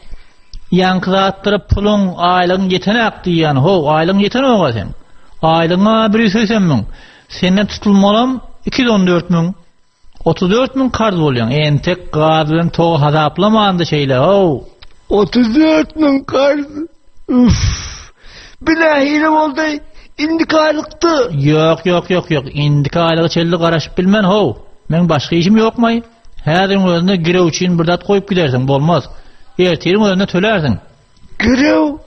Ýaňky zatlara puluň, aýlygyň ýetenak diýýän, how, aýlygyň ýetenok-a seň. Aýlygyň-a 180 müň. Senden tutulmalam 214 müň. 34 müň karz bolýaň. Entek gaz bilen togy hasaplamandy şeýle, how. 34 müň karz. Üf. Bu nähili boldy? Indiki aýlykdy. Ýok, ýok, ýok, ýok. Indiki aýlyga çenli garaşyp bilmen, how. Meň başga işim ýokmaý? Häziriň özünde girew üçin bir zat goýup gidersiň, bolmaz. Ertiriň özünde tölärsiň. Girew?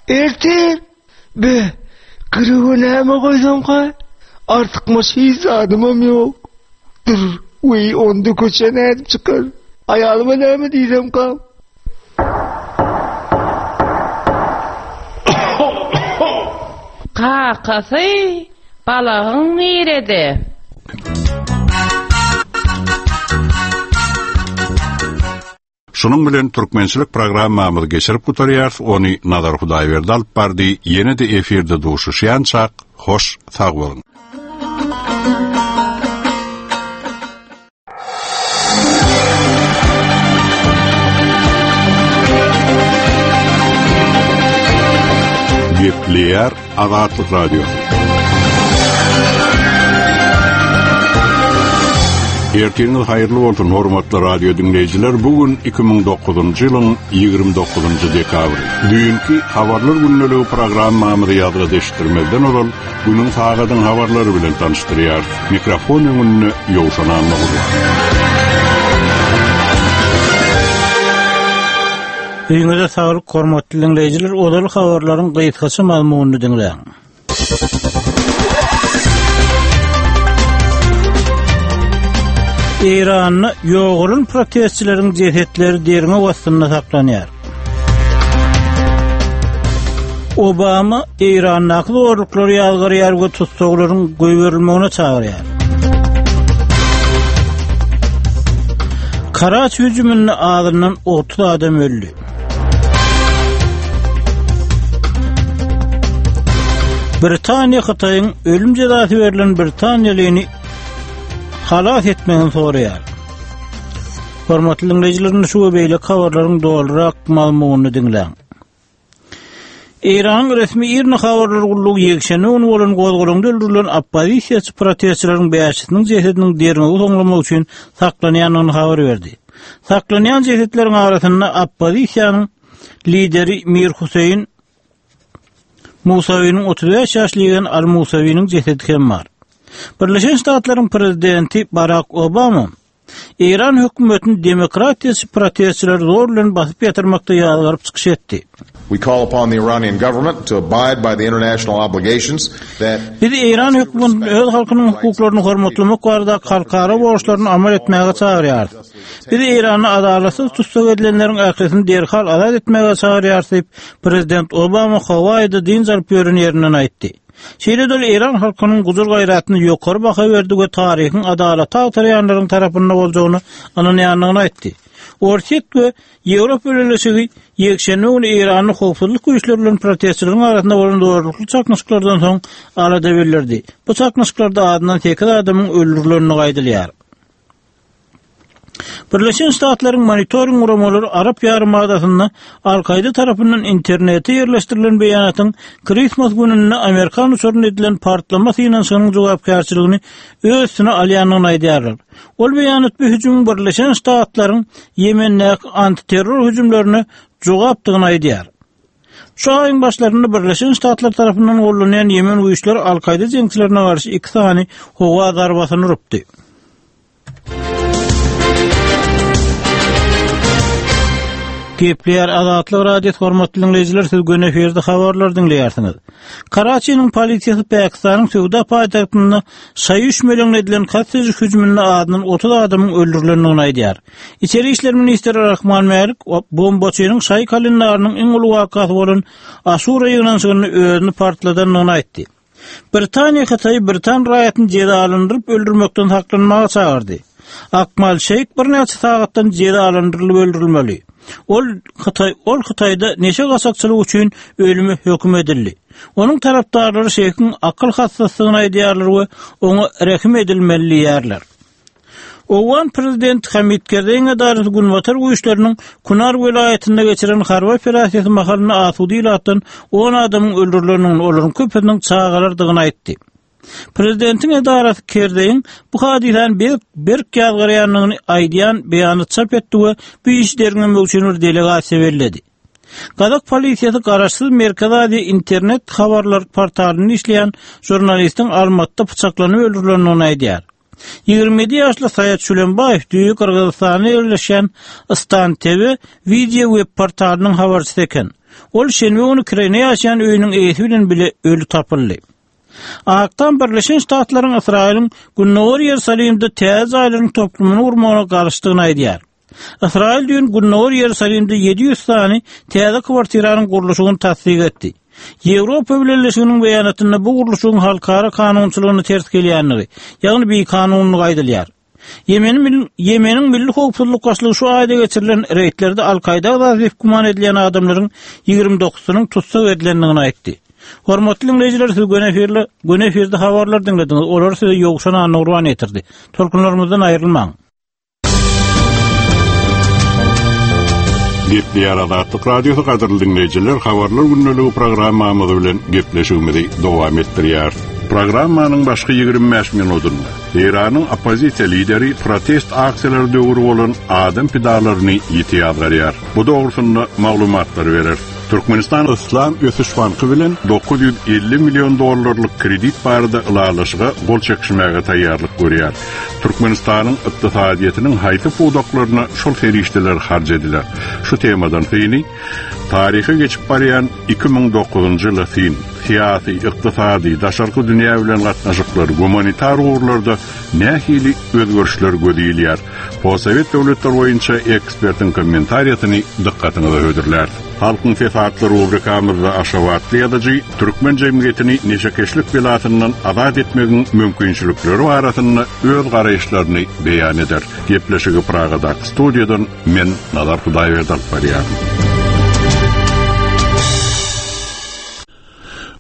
Ertir? Be, girewe näme goýsamka? Artykmaç hiç zadymam ýok. Dur, weý, onda köçä nädip çykar? Aýalyma näme diýsemkam? Kakasy, balagyň nirede? Şunuň bilen türkmençilik programmamyzy geçirip gutarýarys, ony Nazar Hudaýberdi alyp bardy, ýene-de efirde duşuşýançak, hoş sag boluň! Gepleýär Azatlyk Radiosy. Ertiriňiz haýyrly bolsun, hormatly radio diňleýjiler! Bu gün 2009-njy ýylyň 29-njy dekabry. Düýnki Habarlar gündeligi programmamyzy ýazga deşdirmezden ozal, günüň sagadyň habarlary bilen tanyşdyrýarys. Mikrofon öňünde Ýowşan Annagurban. Öýüňize saglyk, hormatly diňleýjiler! Ozal habarlaryň gysgaça mazmunyny diňläň. Eýranda ýogalan protestçileriň jesetleri derňew astynda saklanýar. Obama Eýrandaky zorluklary ýazgarýar we tussaglaryň goýberilmegine çagyrýar. Karaç hüjüminde azyndan 30 adam öldi. Britaniýa Hytaýyň ölüm jezasy berlen britaniýalyny halas etmegini soraýar. Hormatly diňleýjiler, şu we beýleki habarlaryň dolurak mazmunyny diňläň. Eýranyň resmi IRNA habarlar gullugy ýekşenbe güni bolan gozgalaňda öldürilen oppozisiýaçy protestçileriň bäşisiniň jesediniň derňewi soňlamak üçin saklanýandygyny habar berdi. Saklanýan jesetleriň arasynda oppozisiýanyň lideri Mir Huseýin Musawiniň 35 ýaşly ýegeni Al Musawiniň jesedi hem bar. Birleşen Ştatlaryň prezidenti Barak Obama Eýran hökümetini demokratiýaçy protestçileri zor bilen basyp ýatyrmakda ýazgaryp çykyş etdi. We call upon the Iranian government to abide by the international obligations that Biz Eýran hökümetini öz halkynyň hukuklaryny hormatlamak baradaky halkara borçlaryny amal etmäge çagyrýarys. Biz Eýranda adalatsyz tussag edilenleriň ählisini derhal azat etmäge çagyrýarys diýip, prezident Obama Hawaýide dynç alyp ýören ýerinden aýtdy. Şeýle-de ol eýran halkynyň gujur-gaýratyna ýokary baha berdi we taryhyň adalaty agtarýanlaryň tarapynda boljagyna ynanýandygyny aýtdy. Orsýet we Ýewropa Bileleşigi ýekşenbe güni Eýranda howpsuzlyk güýçleri bilen protestçileriň arasynda bolan zorlukly çaknyşyklardan soň alada bildirdi. Bu çaknyşyklarda azyndan sekiz adamyň öldürilendigi aýdylýar. Birleşen Ştatlaryň monitoring guramalary Arap ýarymadasynda Al-Kaýda tarapyndan internete ýerleşdirilen beýanatyň Kristmas gününde amerikan uçarynda edilen partlama synanyşygynyň jogapkärçiligini öz üstüne alýandygyny aýdýarlar. Ol beýanat bu hüjümiň Birleşen Ştatlaryň Ýemendäki antiterror hüjümlerine jogapdygyny aýdýar. Şu aýyň başlarynda Birleşen Ştatlar tarapyndan gollanýan Ýemen güýçleri Al-Kaýda jeňçilerine garşy iki sany howa zarbasyny urupdy. Gepleýär Azatlyk Radiosy hormatly diňleýjiler siz göni efirde habarlar diňleýärsiňiz. Karaçiniň polisiýasy Pakistanyň söwda paýtagtynda şaýy üşmeleňine edilen kast ediş hüjüminde azyndan 30 adamyň öldürilendigini aýdýar. Içeri işler ministri Rahman Mälik bombaçynyň şaýy kalendarynyň iň uly wakasy bolan Aşura ýygnanyşygynda özüni partladandygyny aýtdy. Britaniýa Hytaýy britan raýatyny jezalandyryp öldürmekden saklanmaga çagyrdy. Akmal Şeýh birnäçe sagatdan jezalandyrylyp öldürilmeli. Ol Hytaý ol Hytaýda neşe gaçakçylygy üçin ölüme höküm edildi. Onuň tarapdarlary Şeýhiň akyl hassasydygyny aýdýarlar we oňa rehim edilmeli diýýärler. Owgan prezidenti Hamid Kerzeýiň edarasy günbatar güýçleriniň Kunar welaýatynda geçiren harby operasiýasy mahalynda asuda ilatdan on adamyň öldürilendigini, olaryň köpüsiniň çagalardygyny aýtdy. Prezidentiň edarasy Kerzeýiň bu hadysany berk berk ýazgarýandygyny aýdýan beýanat çap etdi we bu işi derňemek üçin bir delegasiýa belledi. Gazak polisiýasy garaşsyz Merkezi Aziýa internet habarlar portalynda işleýän žurnalistiň Almatyda pyçaklanyp öldürilendigini aýdýar. 27 ýaşly Saýat Şülenbaýew düýe Gyrgyzystanda ýerleşýän Stan TV wideo web portalynyň habarçysy eken. Ol şenbe güni kireýine ýaşaýan öýüniň eýesi bilen bile öli tapyldy. Ak Tam Birleşen Ştatlaryň Ysraýylyň Gündogar Ýerusalimde täze jaýlaryň toplumyny gurmagyna garşydygyny aýdýar. Ysraýyl düýn Gündogar Ýerusalimde 700 sany täze kwartiranyň gurluşygyny tassyk etdi. Ýewropa Bileleşiginiň beýanatynda bu gurluşygyň halkara kanunçylygyna ters gelýändigi, ýagny bikanunlygy aýdylýar. Ýemeniň Ýemeniň Milli howpsuzlyk başlygy şu aýda geçirilen reýdlerde Al-Kaýda agzasy diýip güman edilýän adamlaryň 29-synyň tussag edilendigini aýtdy. Hormatly diňleýjiler, siz göni efirde, göni efirde habarlar diňlediňiz. Olary size Ýowşan Annagurban ýetirdi. Tolkunlarymyzdan aýrylmaň. Gepleýär Azatlyk Radiosy gadyrly diňleýjiler, habarlar gündeligi programmamyz bilen gepleşigimizi dowam etdirýäris. Programmanyň başky 25 minutynda Eýranyň oppozisiýa lideri protest aksiýalary döwri bolan adam pidalaryny ýiti ýazgarýar. Bu dogrusynda maglumatlary bereris. Türkmenistan Yslam ösüş banky bilen 950 million dollarlyk kredit barada ylalaşyga gol çekişmäge taýýarlyk görýär. Türkmenistanyň ykdysadyýetiniň haýsy pudaklaryna şol serişdeler harç ediler? Şu temadan syny Taryha geçip barýan 2009-njy ýyla syn, syýasy, ykdysady, daşarky dünýä bilen gatnaşyklar, gumanitar ugurlarda nähili özgerişler göze ilýär? Postsowet döwletler boýunça ekspertiň kommentariýasyny dykgatyňyza hödürläris. Halkyň sesi atly rubrikamyzda aşgabatly ýazyjy türkmen jemgyýetini neşekeşlik belasyndan azat etmegiň mümkinçilikleri barasynda öz garaýyşlaryny beýan eder. Gepleşigi Pragadaky studiýadan Men Nazar Hudaýberdi alyp barýaryn.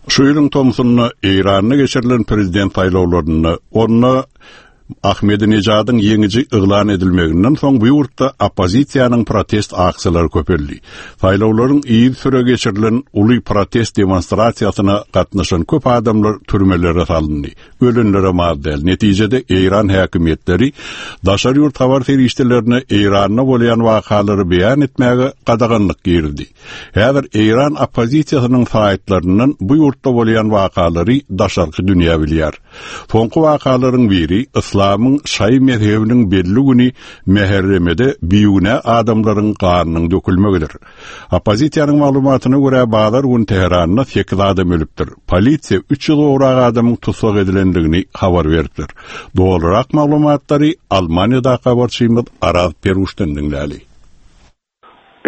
Şu ýylyň tomsunda Eýranda geçirilen prezident saýlawlarynda onda Ahmedinejadyň ýeňiji yglan edilmeginden soň bu ýurtda oppozisiýanyň protest aksiýalary köpeldi. Saýlawlaryň yzysüre geçirilen uly protest demonstrasiýasyna gatnaşan köp adamlar türmelere salyndy. Ölenlerem az däl. Netijede Eýran häkimiýetleri daşary ýurt habar serişdelerine Eýranda bolýan wakalary beýan etmäge gadaganlyk girizdi. Häzir Eýran oppozisiýasynyň saýtlaryndan bu ýurtda bolýan wakalary daşarky dünýä bilýär. Soňky wakalaryň biri yslamyň şaýy mezhebiniň belli güni Mäherremede bigünä adamlaryň ganynyň dökülmegidir. Oppozisiýanyň maglumatyna görä, bazar güni Tähranda sekiz adam ölüpdir. Polisiýa 300 gowrak adamyň tussag edilendigini habar beripdir. Dolurak maglumatlary Almaniýadaky habarçymyz Araz Peruşdan diňläli.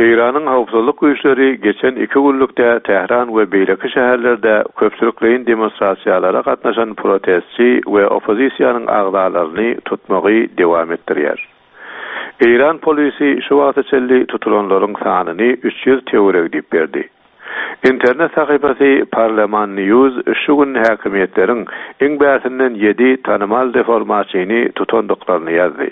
Eýranyň howpsuzlyk güýçleri geçen iki günlükde Tähran we beýleki şäherlerde köpçülikleýin demonstrasiýalara gatnaşan protestçi we oppozisiýanyň agzalaryny tutmagy dowam etdirýär. Eýran polisi şu wagta çenli tutulanlaryň sanyny 300 töweregi diýip berdi. Internet sahypasy Parleman News şu gün häkimiýetleriň iň bärsinden ýedi tanymal reformaçyny tutandyklaryny ýazdy.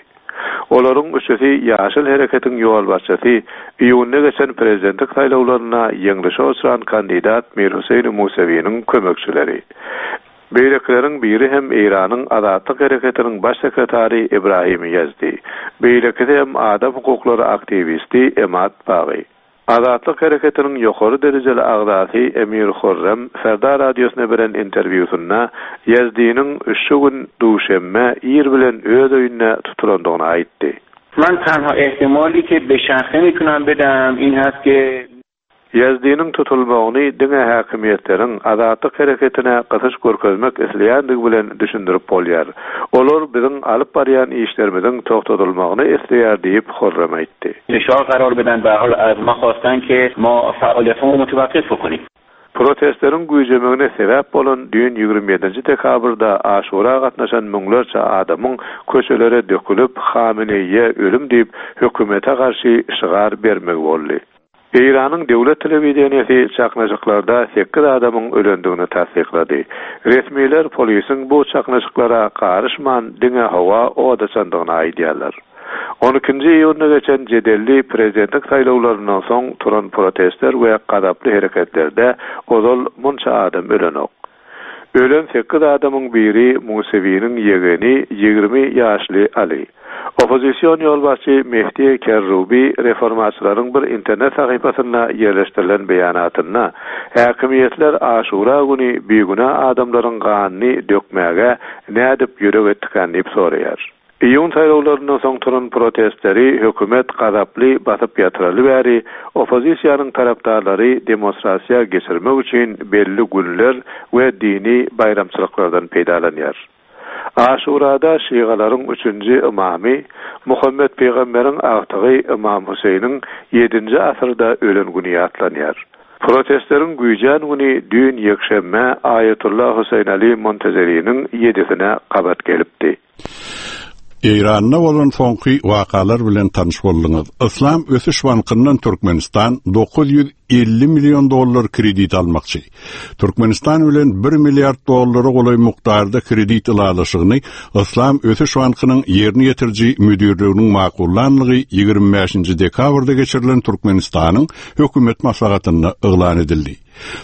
Olaryň üçüsi Ýaşyl hereketiň ýolbaşçysy, iýunda geçen prezidentlik saýlawlarynda ýeňlişe uçran kandidat Mir Hüseýn Musewiniň kömekçileri. Beýlekileriň biri hem Eýranyň Azatlyk hereketiniň baş sekretary Ibrahim Ýezdi. Beýlekisi hem adam hukuklary aktiwisti Emad Bagy. Azatlyk hereketiniň ýokary derejeli agzasy Emir Hurrem Ferda radiosyna beren interwýusynda Ýezdiniň şu gün, duşenbe, ir bilen öz öýünde tutulandygyny aýtdy. Man tanha ehtimali ke be şahse mitunam bedam in hast ke. Ýazdiniň tutulmagyny diňe häkimiýetleriň Azatlyk hereketine gysyş görkezmek isleýändigi bilen düşündirip bolýar. Olar biziň alyp barýan işlerimiziň togtadylmagyny isleýär diýip, Horrem aýtdy. Fişar garar beden be hal az ma hostan ke ma faaliýethamon mutewakif bokonim. Protestleriň güýjemegine sebäp bolan düýn 27-nji dekabrda Aşura gatnaşan müňlerçe adamyň köçelere dökülip, Hameneýiýe ölüm diýip, hökümete garşy şygar bermegi boldy. Eýranyň döwlet telewideniýesi çaknyşyklarda sekiz adamyň ölendigini tassyklady. Resmiler polisiň bu çaknyşyklara garyşman, diňe howa od açandygyny aýdýarlar. On ikinji iýunda geçen jedelli prezidentlik saýlawlaryndan soň turan protestler we gazaply hereketlerde ozal munça adam ölenok. Ölen sekiz adamyň biri Musewiniň ýegeni 20 ýaşly Ali. Oppozision ýolbaşçy Mehdi Kerrubi reformaçylaryň bir internet sahypasynda ýerleşdirilen beýanatynda, Häkimiýetler Aşura güni bigünä adamlaryň ganyny dökmäge nädip ýürek etdikän diýip soraýar. Iýun saýlawlaryndan soň turan protestleri hökümet gazaply basyp ýatyraly bäri, oppozisiýanyň tarapdarlary demonstrasiýa geçirmek üçin belli günler we dini baýramçylyklardan peýdalanýar. Aşurada şygalaryň üçünji ymamy, Muhammet pygamberiň agtygy Ymam Hüseýniň ýedinji asyrda ölen güni ýatlanýar. Protestleriň güýjän güni düýn ýekşenbe Aýatullah Hüseýin Ali Montezeriniň ýedisine gabat gelipdi. Eýranda bolan soňky wakalar bilen tanyş bolduňyz. Yslam ösüş bankyndan Türkmenistan 950 million dollar kredit almakçy. Türkmenistan bilen 1 milliard dollara golaý mukdarda kredit ylalaşygyny Yslam ösüş bankynyň ýerine ýetiriji müdirliginiň makullanlygy 25-nji dekabrda geçirilen Türkmenistanyň hökümet maslahatynda yglan edildi.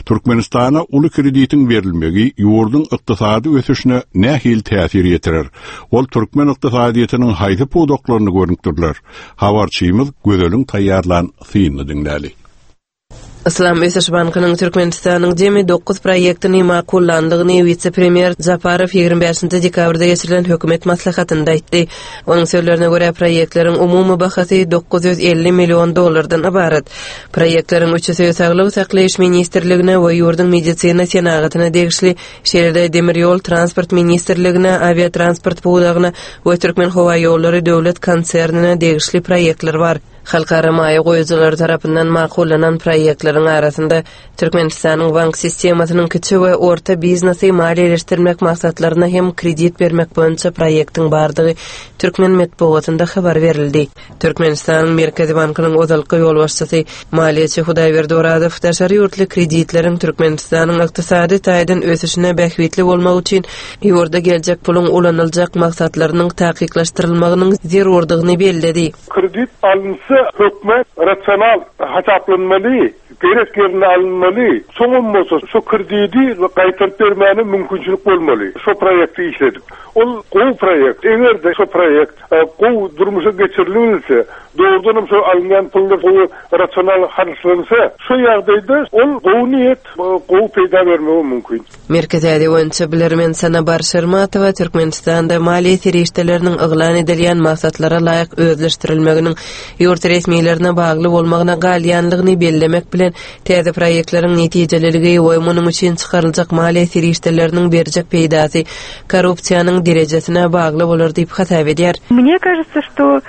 Türkmenistana uly kreditiň berilmegi ýurduň ykdysady ösüşine nähili täsir ýetirer? Ol türkmen ykdysadyýetiniň haýsy pudaklaryny görnükdiriler? Habarçymyz Gözeliň taýýarlan synyny diňläli. Yslam ösüş bankynyň Türkmenistanyň jemi dokuz proýektini makullandygyny wise-premýer Japarow 25 dekabrda geçirilen hökümet maslahatynda aýtdy. Onuň sözlerine görä, proýektleriň umumy bahasy 950 million dollardan ybarat. Proýektleriň üçüsi Saglygy saklaýyş ministrligine we ýurduň medisina senagatyna degişli, şeýle-de Demir ýol transport ministrligine, awiatransport pudagyna we Türkmenhowaýollary döwlet konsernine degişli proýektler bar. Halkara maýa goýujylary tarapyndan makullanan proýektleriň arasynda Türkmenistanyň bank sistemasynyň kiçi we orta biznesi maliýeleşdirmek maksatlaryna hem kredit bermek boýunça proýektiň bardygy türkmen metbugatynda habar berildi. Türkmenistanyň Merkezi bankynyň ozalky ýolbaşçysy, maliýeçi Hudaýberdi Orazow daşary ýurtly kreditleriň Türkmenistanyň ykdysady taýdan ösüşine bähbitli bolmagy üçin ýurda geljek puluň ulanyljak maksatlarynyň takyklaşdyrylmagynyň zerurdygyny belledi. Kredit alynsa hökmän rasional hasaplanmaly, gerek ýerinde alynmaly, soňam bolsa şo kredidi gaýtaryp bermäne mümkinçilik bolmaly, şo proýekti işledip. Ol gowy proýekt, eger-de şo proýekt gowy durmuşa geçirilebilse, dogrudanam şo alynýan pullar gowy rasional harçlansa, şo ýagdaýda ol gowy niýet, gowy peýda bermegi mümkin. Merkezi Aziýa boýunça bilermen Sanabar Şermatowa Türkmenistanda maliýe serişdeleriniň yglan edilýän maksatlara laýyk özleşdirilmeginiň ýurt resmilerine bagly bolmagyna galýanlygyny bellemek bilen, täze proýektleriň netijeliligi we munuň üçin çykaryljak maliýe serişdeleriniň berjek peýdasy korrupsiýanyň derejesine bagly bolar diýip hasap edýär. Mne кажется, что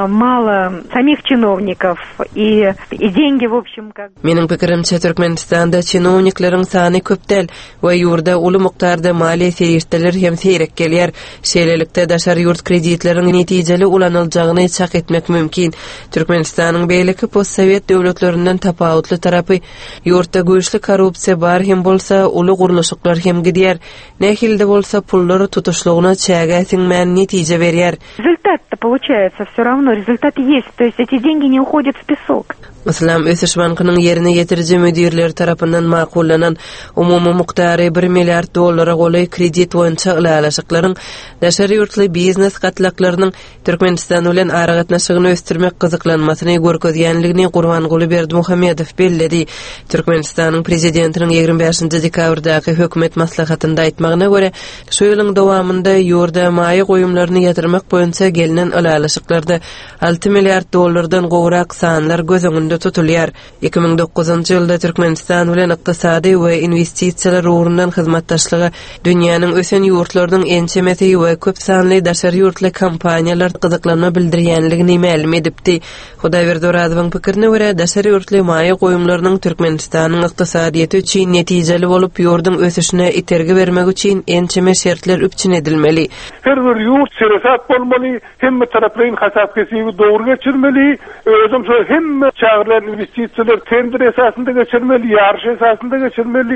mало samih çinownikow i dengi w obşem kak. Meniň pikirimçe, Türkmenistanda çinownikleriň sany köp däl we ýurda uly mukdarda maliýe serişdeleri hem seýrek gelýär. Şeýlelikde, daşary ýurt kreditleriň netijeli ulanyljagyny çak etmek mümkin. Türkmenistanyň beýleki postsowet döwletlerinden tapawutly tarapy, ýurtda güýçli korrupsiýa bar hem bolsa, uly gurluşyklar hem gidýär. Nähili-de bolsa, pullar tutuşlygyna çägä siňmän netije berýär. Rezultat-to poluçaýatsa wsё rawno, rezultat ýest, to ýest eti dengi ne uhodýat w pesok. Yslam ösüş bankynyň ýerine ýetiriji müdirleri tarapyndan makullanan umumy mukdary bir milliard dollara golaý kredit boýunça ylalaşyklaryň daşary ýurtly biznes gatlaklarynyň Türkmenistan bilen aragatnaşygyny ösdürmek gyzyklanmasyny görkezýänligini Gurbanguly Berdimuhamedow belledi. Türkmenistanyň Prezidentiniň 25 dekabrdaky hökümet maslahatynda aýtmagyna görä, Şu ýylyň dowamynda ýurda maýa goýumlaryny ýatyrmak boýunça gelnen ylalaşyklarda 6 milliard dollardan gowrak sanlar göz öňünde tutulýar. 2009-njy ýylda Türkmenistan bilen ykdysady we inwestisiýalar ugrundan hyzmatdaşlyga dünýäniň ösen ýurtlarynyň ençemesi we köp sanly daşary ýurtly kompaniýalar gyzyklanma bildirýänligini mälim edipdi. Hudaýberdi Orazowyň pikirine görä, daşary ýurtly maýa goýumlarynyň Türkmenistanyň ykdysadyýeti üçin netijeli bolup, ýurduň ösüşine itergi bermegi üçin ençeme şertler üpjün edilmeli. Her bir ýurt seresap bolmaly, hemme taraplaýyn hasap-hesibi dogry geçirmeli, özem şo hemme çagyrylan inwestisiýalary tender esasynda geçirmeli, ýaryş esasynda geçirmeli,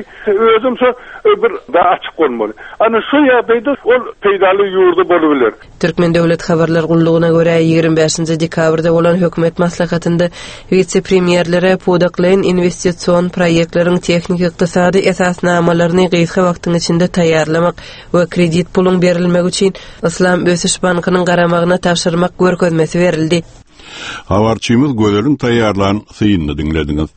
özem şo bir açyk bolmaly. Ana şo ýagdaýda ol peýdaly ýurda bolubiler. Türkmen döwlet habarlar gullugyna görä, 25-nji dekabrda bolan hökümet maslahatynda wise-premýerlere pudaklaýyn inwestision proýektleriň tehniki-ykdysady esasnamalaryny gysga wagtyň içinde taýýarlamak we kredit puluň berilmegi üçin Yslam ösüş bankynyň garamagyna tabşyrmak görkezmesi berildi. Habarçymyz Gözeliň taýýarlan synyny diňlediňiz.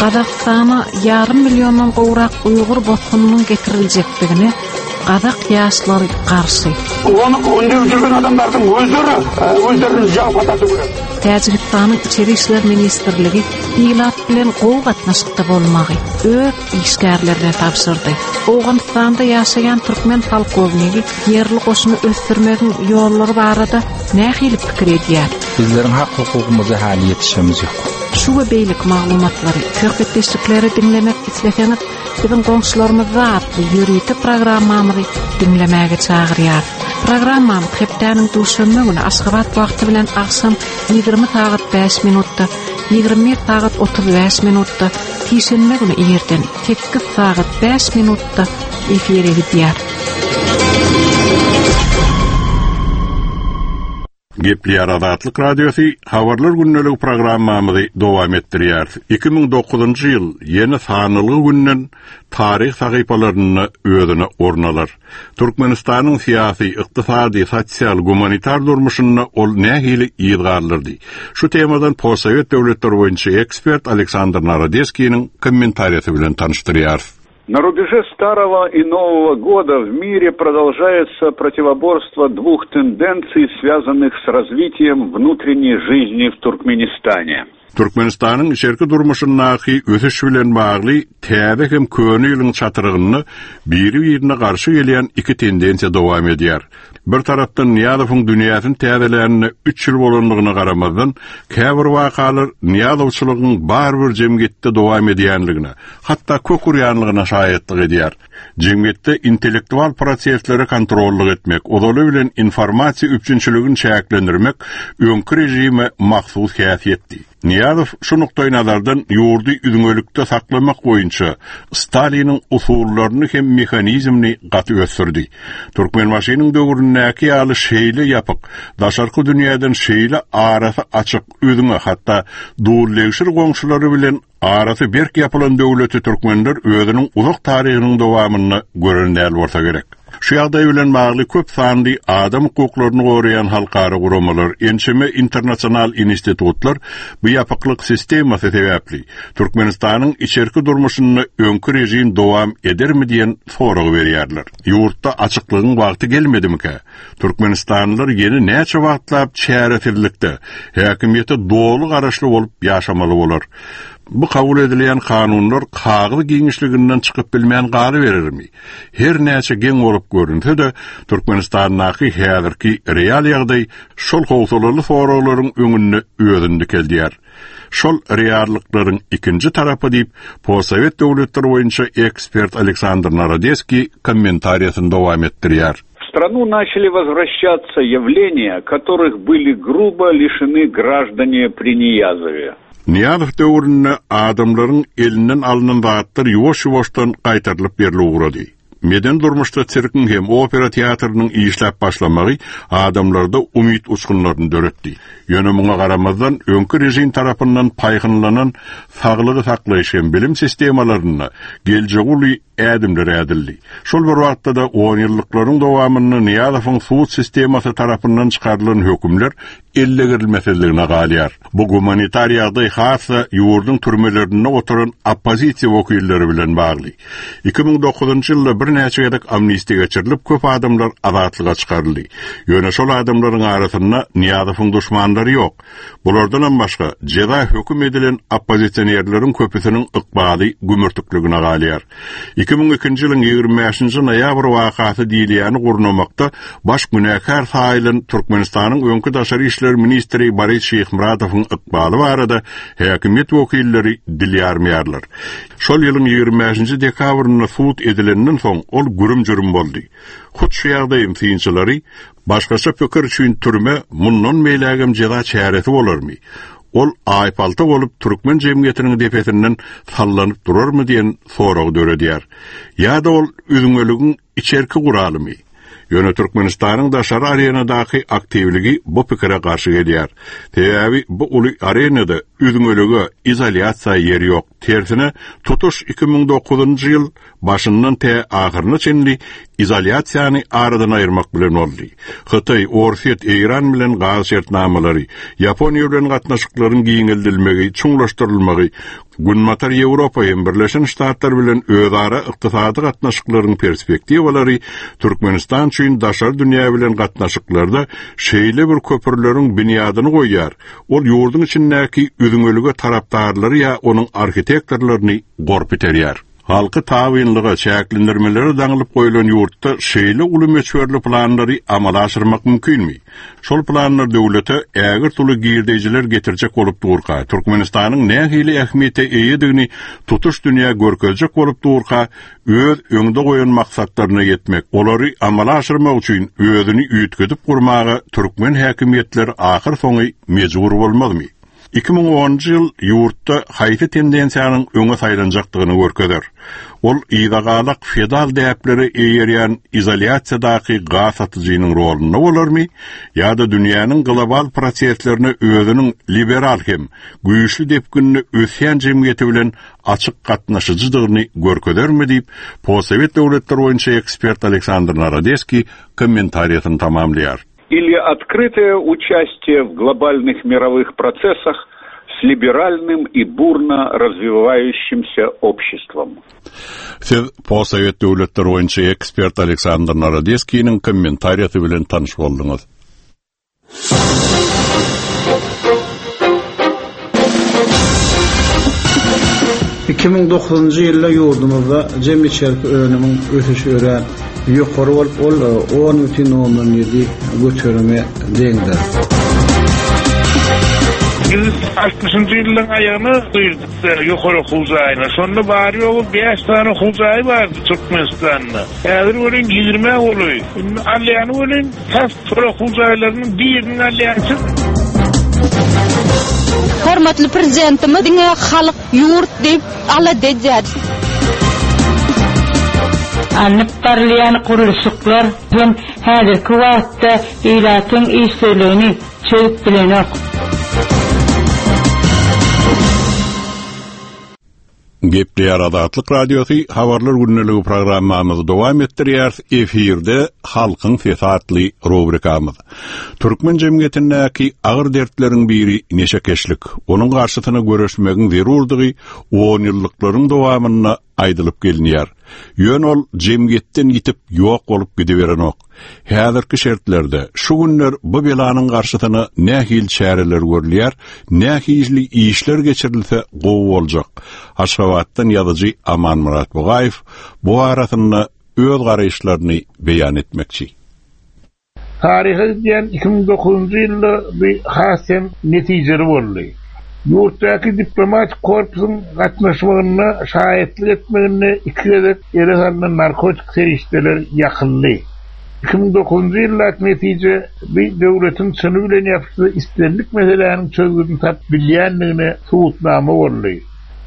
Gazagystana ýarym milliondan gowrak uýgur bosgunynyň getiriljekdigine gazak ýaşlary garşy. Ony ündep jürgen adamlardyň özleri özlerini jawapa tartyp gerek. Täjigistanyň Içeri işler ministrligi ilat bilen gowy gatnaşykda bolmagy öz işgärlerine tabşyrdy. Owganystanda ýaşaýan türkmen polkownigi ýerli goşuny ösdürmegiň ýollary barada nähili pikir edýär? Bizleriň hak-hukugymyza häli ýetişemiz ýok. Şu we beýleki maglumatlary, söhbetdeşlikleri diňlemek isleseňiz, biziň goňşularymyzda atly ýörite programmamyzy diňlemäge çagyrýarys. Programmamyz hepdäniň duşenbe güni Aşgabat wagty bilen agşam 20 sagat 5 minutda, 21 sagat 35 minutda, sişenbe güni irden 8 sagat 5 minutda efire gidýär. Gepleýär Azatlyk Radiosy, Habarlar gündeligi programmamyzy dowam etdirýäris. 2009-njy ýyl ýene sanalgy günden taryh sahypalarynda özüne orun alar. Türkmenistanyň syýasy, ykdysady, sosial, gumanitar durmuşynda ol nähili yz galdyrdy? Şu temadan postsowet döwletleri boýunça ekspert Aleksandr Narodeskiniň kommentariýasy bilen tanyşdyrýarys. На рубеже старого и нового года в мире продолжается противоборство двух тенденций, связанных с развитием внутренней жизни в Туркменистане. Türkmenistanyň içerki durmuşyndaky ösüş bilen bagly täze hem köne ýylyň çatrygynda biri-birine garşy gelýän iki tendensiýa dowam edýär. Bir tarapdan Nyýazowyň dünýäsini täzelänine üç ýyl bolandygyna garamazdan, käbir wakalar nyýazowçylygyň barybir jemgyýetde dowam edýänligine, hatda kök urýanlygyna şaýatlyk edýär. Jemgyýetde intellektual proseslere kontrollyk etmek, ozaly bilen informasiýa üpjünçiligini çäklendirmek öňki režime mahsus häsiýetdi. Nyýazow şu nukdaýnazardan ýurdy üzňelikde saklamak boýunça Staliniň usullaryny hem mehanizmini gaty ösdürdi. Türkmenbaşynyň döwründäki ýaly şeýle ýapyk, daşarky dünýäden şeýle arasy açyk, üzňe, hatda dul-degşir goňşulary bilen arasy berk ýapylan döwleti türkmenler özüniň uzak taryhynyň dowamynda gören däl bolsa gerek. Şu ýagdaý bilen bagly köp sanly adam hukuklaryny goraýan halkara guramalar, ençeme internasional institutlar bu ýapyklyk sistemasy sebäpli Türkmenistanyň içerki durmuşynda öňki režim dowam edermi diýen soragy berýärler. Ýurtda açyklygyň wagty gelmedimikä? Türkmenistanlylar ýene näçe wagtlap çäresizlikde, häkimiýete doly garaşly bolup ýaşamaly bolar? Bu kabul edilýän kanunlar kagyz giňişliginden çykyp bilmän galyberermi? Her näçe geň bolup görünse-de, Türkmenistandaky häzirki real ýagdaý şol howsalaly soraglaryň öňünde özüni dikeldýär. Şol reallyklaryň ikinji tarapy diýip, postsowet döwletleri boýunça ekspert Aleksandr Narodeskiý kommentariýasyny dowam etdirýär. В страну начали возвращаться явления, которых были грубо лишены граждане при Ниязове. Nyýazow döwründe adamlaryň elinden alnan zatlar ýuwaş-ýuwaşdan gaýtarylyp berlip ugrady. Medeni durmuşda sirkiň hem opera teatrynyň işläp başlamagy adamlarda umyt uçgunlaryny döretdi. Ýöne muňa garamazdan, öňki režim tarapyndan paýhynlanan saglygy saklaýyş hem bilim sistemalarynda geljegi uly ädimler ädildi. Şol bir wagtda-da onýyllyklaryň dowamynda Nyýazowyň sud sistemasy tarapyndan çykarylan hökümler ellegirilmesizligine galýar. Bu gumanitar ýagdaý has-da ýurduň türmelerinde oturan oppozisiýa wekilleri bilen bagly. 2009-njy ýylda birnäçe gezek amnistiýa geçirilip, köp adamlar azatlyga çykaryldy. Ýöne şol adamlaryň arasynda Nyýazowyň duşmanlary ýok. Bulardanam başga, jeza höküm edilen oppozisionerleriň köpüsiniň ykbaly gümürtikligine galýar. 2002-nji ýylyň 25-nji noýabr wakasy diýilýäni gurnamakda baş günäkär saýylan Türkmenistanyň öňki daşary işler ministri Boris Şyhmyradowyň ykbaly barada häkimiýet wekilleri dil ýarmaýarlar. Şol ýylyň 25-nji dekabrynda sud edilenden soň ol gürüm-jürüm boldy. Hut şu ýagdaýyň synçylary Başgaça pikir üçin türme mundan beýlägem jeza çäresi bolarmy? Ol aýpalta bolup türkmen jemgyýetiniň depesinden sallanyp durarmy diýen soragy döredýär. Ýa-da ol üzňeligiň içerki guralymy? Ýöne Türkmenistanyň daşary arenadaky aktiwligi bu pikire garşy gelýär. Sebäbi bu uly arenada üzňelige, izolýasiýa ýer ýok. Tersine, tutuş 2009-njy ýyl başyndan tä ahyryna çenli izolýasiýany aradan aýyrmak bilen boldy. Hytaý, Orsýet, Eýran bilen gaz şertnamalary, Ýaponiýa bilen gatnaşyklaryň giňeldilmegi, çuňlaşdyrylmagy, Günbatar Ýewropa hem Birleşen Ştatlar bilen özara ykdysady gatnaşyklaryň perspektiwalary Türkmenistan üçin daşary dünýä bilen gatnaşyklarda şeýle bir köprüleriň binýadyny goýýar, ol ýurduň içindäki üzňelige tarapdarlary ýa onuň arhitektorlaryny gorp iterýär. Halky tabynlyga, çäklendirmelere daňylyp goýlan ýurtda şeýle uly möçberli planlary amala aşyrmak mümkinmi? Şol planlar döwlete ägirt uly girdeýjiler getirjek bolup durka, Türkmenistanyň nähili ähmiýete eýedigini tutuş dünýä görkezjek bolup durka, öz öňde goýan maksatlaryna ýetmek, olary amala aşyrmak üçin özüni üýtgedip gurmaga türkmen häkimiýetleri ahyrsoňy mejbur bolmazmy? 2010-njy ýyl ýurtda haýsy tendensiýanyň öňe saýlanjakdygyny görkezer. Ol yzagalak feodal däplere eýerýän izolýasiýadaky gaz satyjynyň rolunda bolarmy ýa-da dünýäniň global proseslerine özüniň liberal hem güýçli depginde ösýän jemgyýeti bilen açyk gatnaşyjydygyny görkezermi diýip, postsowet döwletleri boýunça ekspert Aleksandr Narodeskiý kommentariýasyny tamamlaýar. Или открытое участие в глобальных мировых процессах с либеральным и бурно развивающимся обществом. Siz postsowet döwletleri boýunça ekspert Aleksandr Narodeskiniň kommentariýasy bilen tanyş bolduňyz. 2009-njy ýylda ýurdumyzda jemi içerki önümiň ösüşi örän ýokary bolup, ol 10,7 göterime deňdir. Biz altmyşynjy ýyllaryň aýagyna girdik ýokary okuw jaýyna. Şonda bary-ýogy bäş sany okuw jaýy bardy Türkmenistanda. Häzir welin ýigrimä golaý. Indi alýany welin tas şol okuw jaýlarynyň birini alýançy. Hormatly Prezidentimiz diňe halk, ýurt diýip alada edýär. Alnyp barylýan gurluşyklar hem häzirki wagtda ilatyň işsizligini çözüp bilenok. Gepleýär Azatlyk Radiosy, Habarlar gündeligi programmamyzy dowam etdirýäris. Efirde Halkyň sesi atly rubrikamyz. Türkmen jemgyýetindäki agyr dertleriň biri neşekeşlik. Onuň garşysyna göreşmegiň zerurdygy onýyllyklaryň dowamynda aýdylyp gelinýär. Ýöne ol jemgyýetden ýitip ýok bolup gidiberenok. Häzirki şertlerde, şu günler bu belanyň garşysyna nähili çäreler görülýär, nähili işler geçirilse gowy boljak? Aşgabatdan ýazyjy Amanmyrat Bugaýew bu barasynda öz garaýyşlaryny beýan etmekçi. Taryha gidýän 2009-njy ýylda bu has hem netijeli boldy. Ýurtdaky diplomatik korpusyň gatnaşmagynda, şaýatlyk etmeginde iki gezek ele salnan narkotik serişdeler ýakyldy. 2009-njy ýyldaky netije bu döwletiň çyny bilen ýapyşsa islendik meseläniň çözgüdini tapyp bilýändigine subutnama boldy.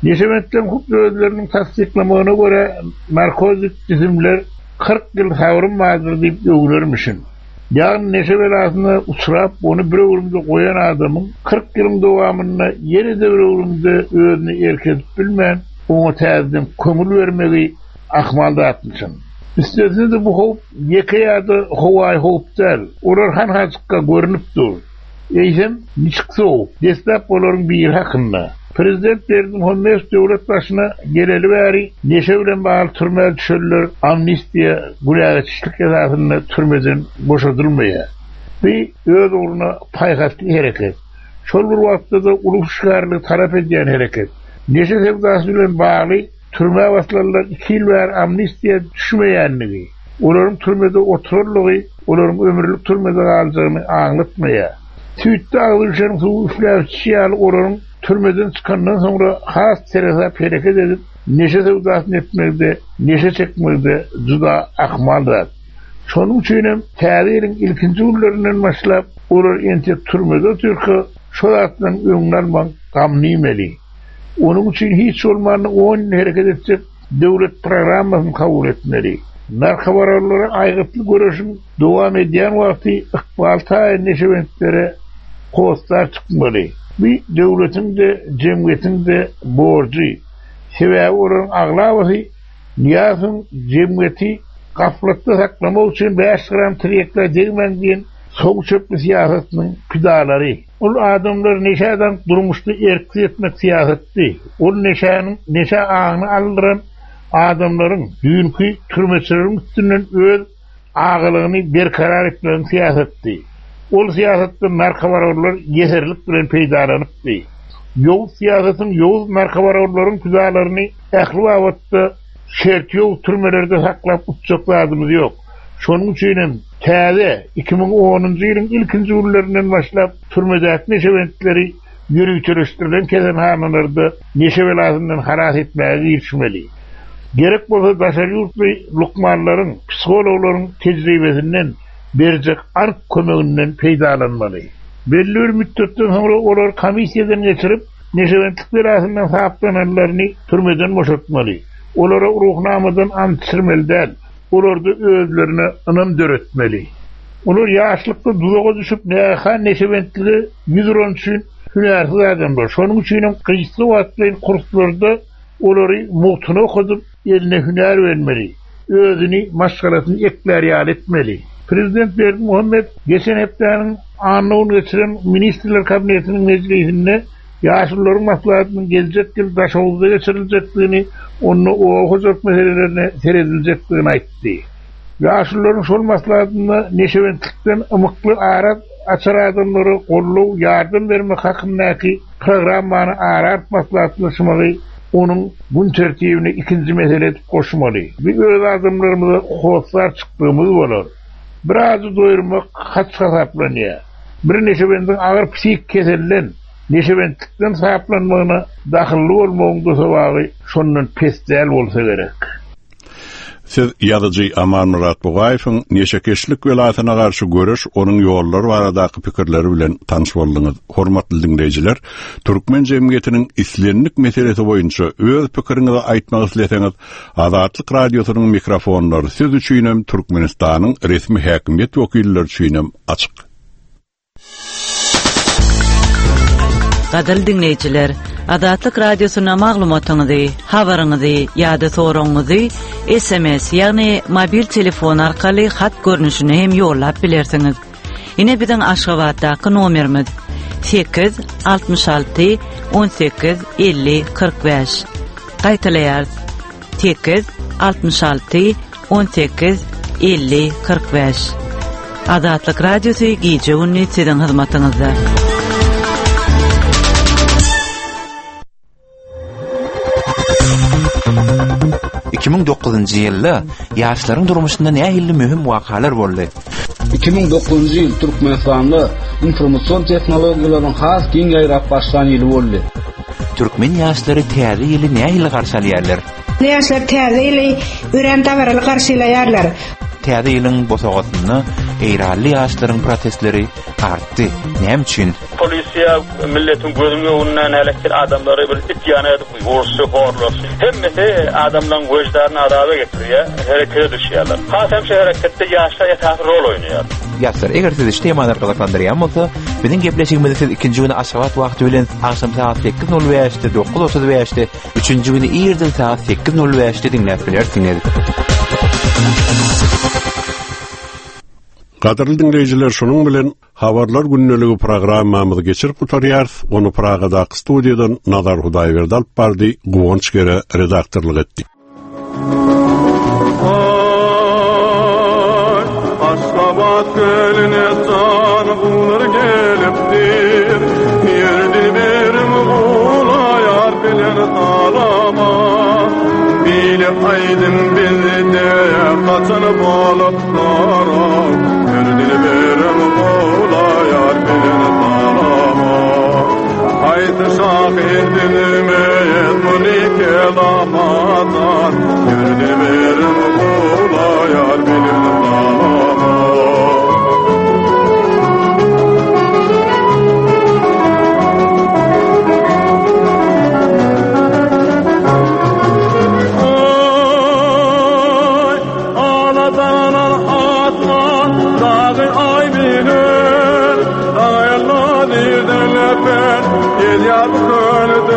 Neşebentleriň hut özleriniň tassyklamagyna görä, narkotik jisimler 40 ýyl sabrym bardyr diýip öwnermişin. Ýagny neşe belasyna uçrap, ony bir öwrümde goýan adamyň 40 ýylyň dowamynda ýene-de bir öwrümde özüne erk edip bilmän, oňa täzeden köňül bermegi ahmal zatmyşyn. Üstesine-de bu howp ýeke ýa-da howaýy howp däl, olar hanhajykka görnüp dur. Eýsem, niçik sowuk? Deslap olaryň biri hakynda. Prezident Berdimuhamedow döwlet başyna geleli bäri neşe bilen bagly türmä düşenler amnistiýa, günägeçişlik esasynda türmeden boşadylmaýar. Bu öz ugruna paýhasly hereket. Şol bir wagtda-da uly hüşgärligi talap edýän hereket. Neşe söwdasy bilen bagly Türmä basylanlar iki ýyl bäri amnistiýa düşmeýändigi, olaryň türmede oturanlygy olaryň ömürlik türmede galjagyny aňlatmaýar. Süýtde agzy bişeniň suwy üfläp içişi ýaly olaryň türmeden çykandan soňra has seresap hereket edip, neşe söwdasyny etmegi-de, neşe çekmegi-de juda ahmal zat. Şonuň üçinem täze ýylyň ilkinji günlerinden başlap olar entek türmede otyrka şo zatlaryň öňüni almagyň gamyny iýmeli. Onuň üçin hiç bolmanda on ýyl hereket etjek döwlet programmasyny kabul etmeli. Narkobaronlara aýgytly göreşiň dowam edýän wagty ykbal taýyn neşebentlere hossar çykmaly. Bu döwletiň-de, jemgyýetiň-de borjy. Sebäbi olaryň aglabasy Nyýazowyň jemgyýeti gaflatda saklamak üçin bäş gram tirýekkä degmäň diýen sow çöpli syýasatynyň pidalary. Ol adamlary neşä daňyp durmuşda erksiz etmek syýasatdy. Ol neşäniň neşä aňyny aldyran adamlaryň, düýnki türmeçileriň üstünden öz agalygyny berkarar etmegiň syýasatdy. Ol syýasatdan narkobaronlar ýeserlik bilen peýdalanypdy. Ýowuz syýasatyň ýowuz narkobaronlaryň pidalaryny ähli babatda şerti ýowuz türmelerde saklap utjak zadymyz ýok. Şonuň üçin hem täze, 2010-njy ýylyň ilkinji günlerinden başlap türmedäki neşebentleri ýöriteleşdirilen keselhanalarda neşe belasyndan halas etmäge girişmeli. Gerek bolsa daşary ýurtly lukmanlaryň, psihologlaryň tejribesinden, berjek anyk kömeginden peýdalanmaly. Belli bir mütdetden soňra olary komissiýadan geçirip, neşebentlik belasyndan saplananlaryny türmeden boşatmaly. Olara Ruhnamadan ant içirmeli däl. Olarda özlerine ynam döretmeli. Olar ýaşlykda duzaga düşüp, nägehan neşebentlige ýüz uran üçin hünärsiz adamlar. Şonuň üçinem gysga wagtlaýyn kurslarda olary mugtuna okadyp, eline hünär bermeli. Özüni, maşgalasyny eklär ýaly etmeli. Prezident Berdimuhamedow geçen hepdäniň anna güni geçiren Ministrler Kabinetiniň mejlisinde Ýaşulularyň maslahatynyň geljek ýyl Daşoguzda geçiriljekdigini, onda oba hojalyk meselelerine serediljekdigini aýtdy. Ýaşulularyň şol maslahatynda neşebentlikden ymykly ara açar adamlara goldaw, ýardam bermek hakyndaky programmany ara alyp maslahatlaşmagy onuň gün tertibine ikinji mesele edip goşmaly. Bu öz adamlarymyza hossar çykdygymyz bolar. Bir ajy doýurmak haç hasaplanýar. Bir neşebendiň agyr psihik keselden, neşebentlikden saplanmagyna dahylly bolmagyň-da sogaby şondan pes däl bolsa gerek. Siz ýazyjy Amanmyrat Bugaýewiň neşekeşlik belasyna garşy göreş, onuň ýollary baradaky pikirleri bilen tanyş bolduňyz. Hormatly diňleýjiler, türkmen jemgyýetiniň islendik meselesi boýunça öz pikiriňizi aýtmak isleseňiz, Azatlyk Radiosynyň mikrofonlary siz üçinem, Türkmenistanyň resmi häkimiýet wekilleri üçinem açyk. Gadyrly diňleýjiler, Azatlyk Radiosyna maglumatyňyzy, habaryňyzy ýa-da soragyňyzy SMS, ýagny mobil telefon arkaly hat görnüşinde hem ýollap bilersiňiz. Ine biziň Aşgabatdaky nomerimiz 8 66 18 50 45. Gaýtalaýarys. 8 66 18 50 45. Azatlyk Radiosy gije-gündiz siziň hyzmatyňyzda. 2009-njy ýylda ýaşlaryň durmuşynda nähili möhüm wakalar boldy? 2009-njy ýyl Türkmenistanda informasion tehnologiýalaryň has giň ýaýrap başlan ýyly boldy. Türkmen ýaşlary täze ýyly nähili garşy alýarlar? Ýaşlar täze ýyly örän dabaraly garşylaýarlar. Täze ýylyň bosagasynda eýranly ýaşlaryň protestleri artdy. Näme üçin? Polisiýa milletiň gözüniň öňünde näletli adamlary bir it ýaly edip urşy, horlaşy. Hemmesi adamlaryň wyždanyny azaba getirýär, herekete düşýärler. Has hem şu hereketde ýaşlar esasy rol oýnaýar. Ýaşlar, eger sizi şu temalar gyzyklandyrýan bolsa, biziň gepleşigimizi siz ikinji güni Aşgabat wagty bilen agşam sagat 8:05-de, 9:35-de, üçünji güni irden sagat 8:05-de diňläp bilersiňiz. Gadyrly diňleýjiler, şunuň bilen Habarlar gündeligi programmamyzy geçirip gutarýarys. Ony Pragadaky studiýadan Nazar Hudaýberdi alyp bardy, Guwanç Gere redaktorlyk etdi. Aşgabat gölüne jan guwlar gelipdir. Ýerdi berim gulaýar bilen salama. Bile aýdym bizde gaçan boluplar. Her dilberim gulaýar bilen salama. Haýsy şahyr bilmez muny kelamadan. Her dilberim gulaýar bilen salama. Oy, aladanan asman dagy aý bilen, Daýanma nirden öpen gelýär bu kölden.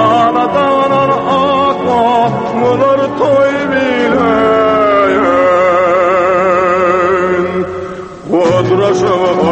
Aladanan asman bolar toý bilen. Gudraşyň.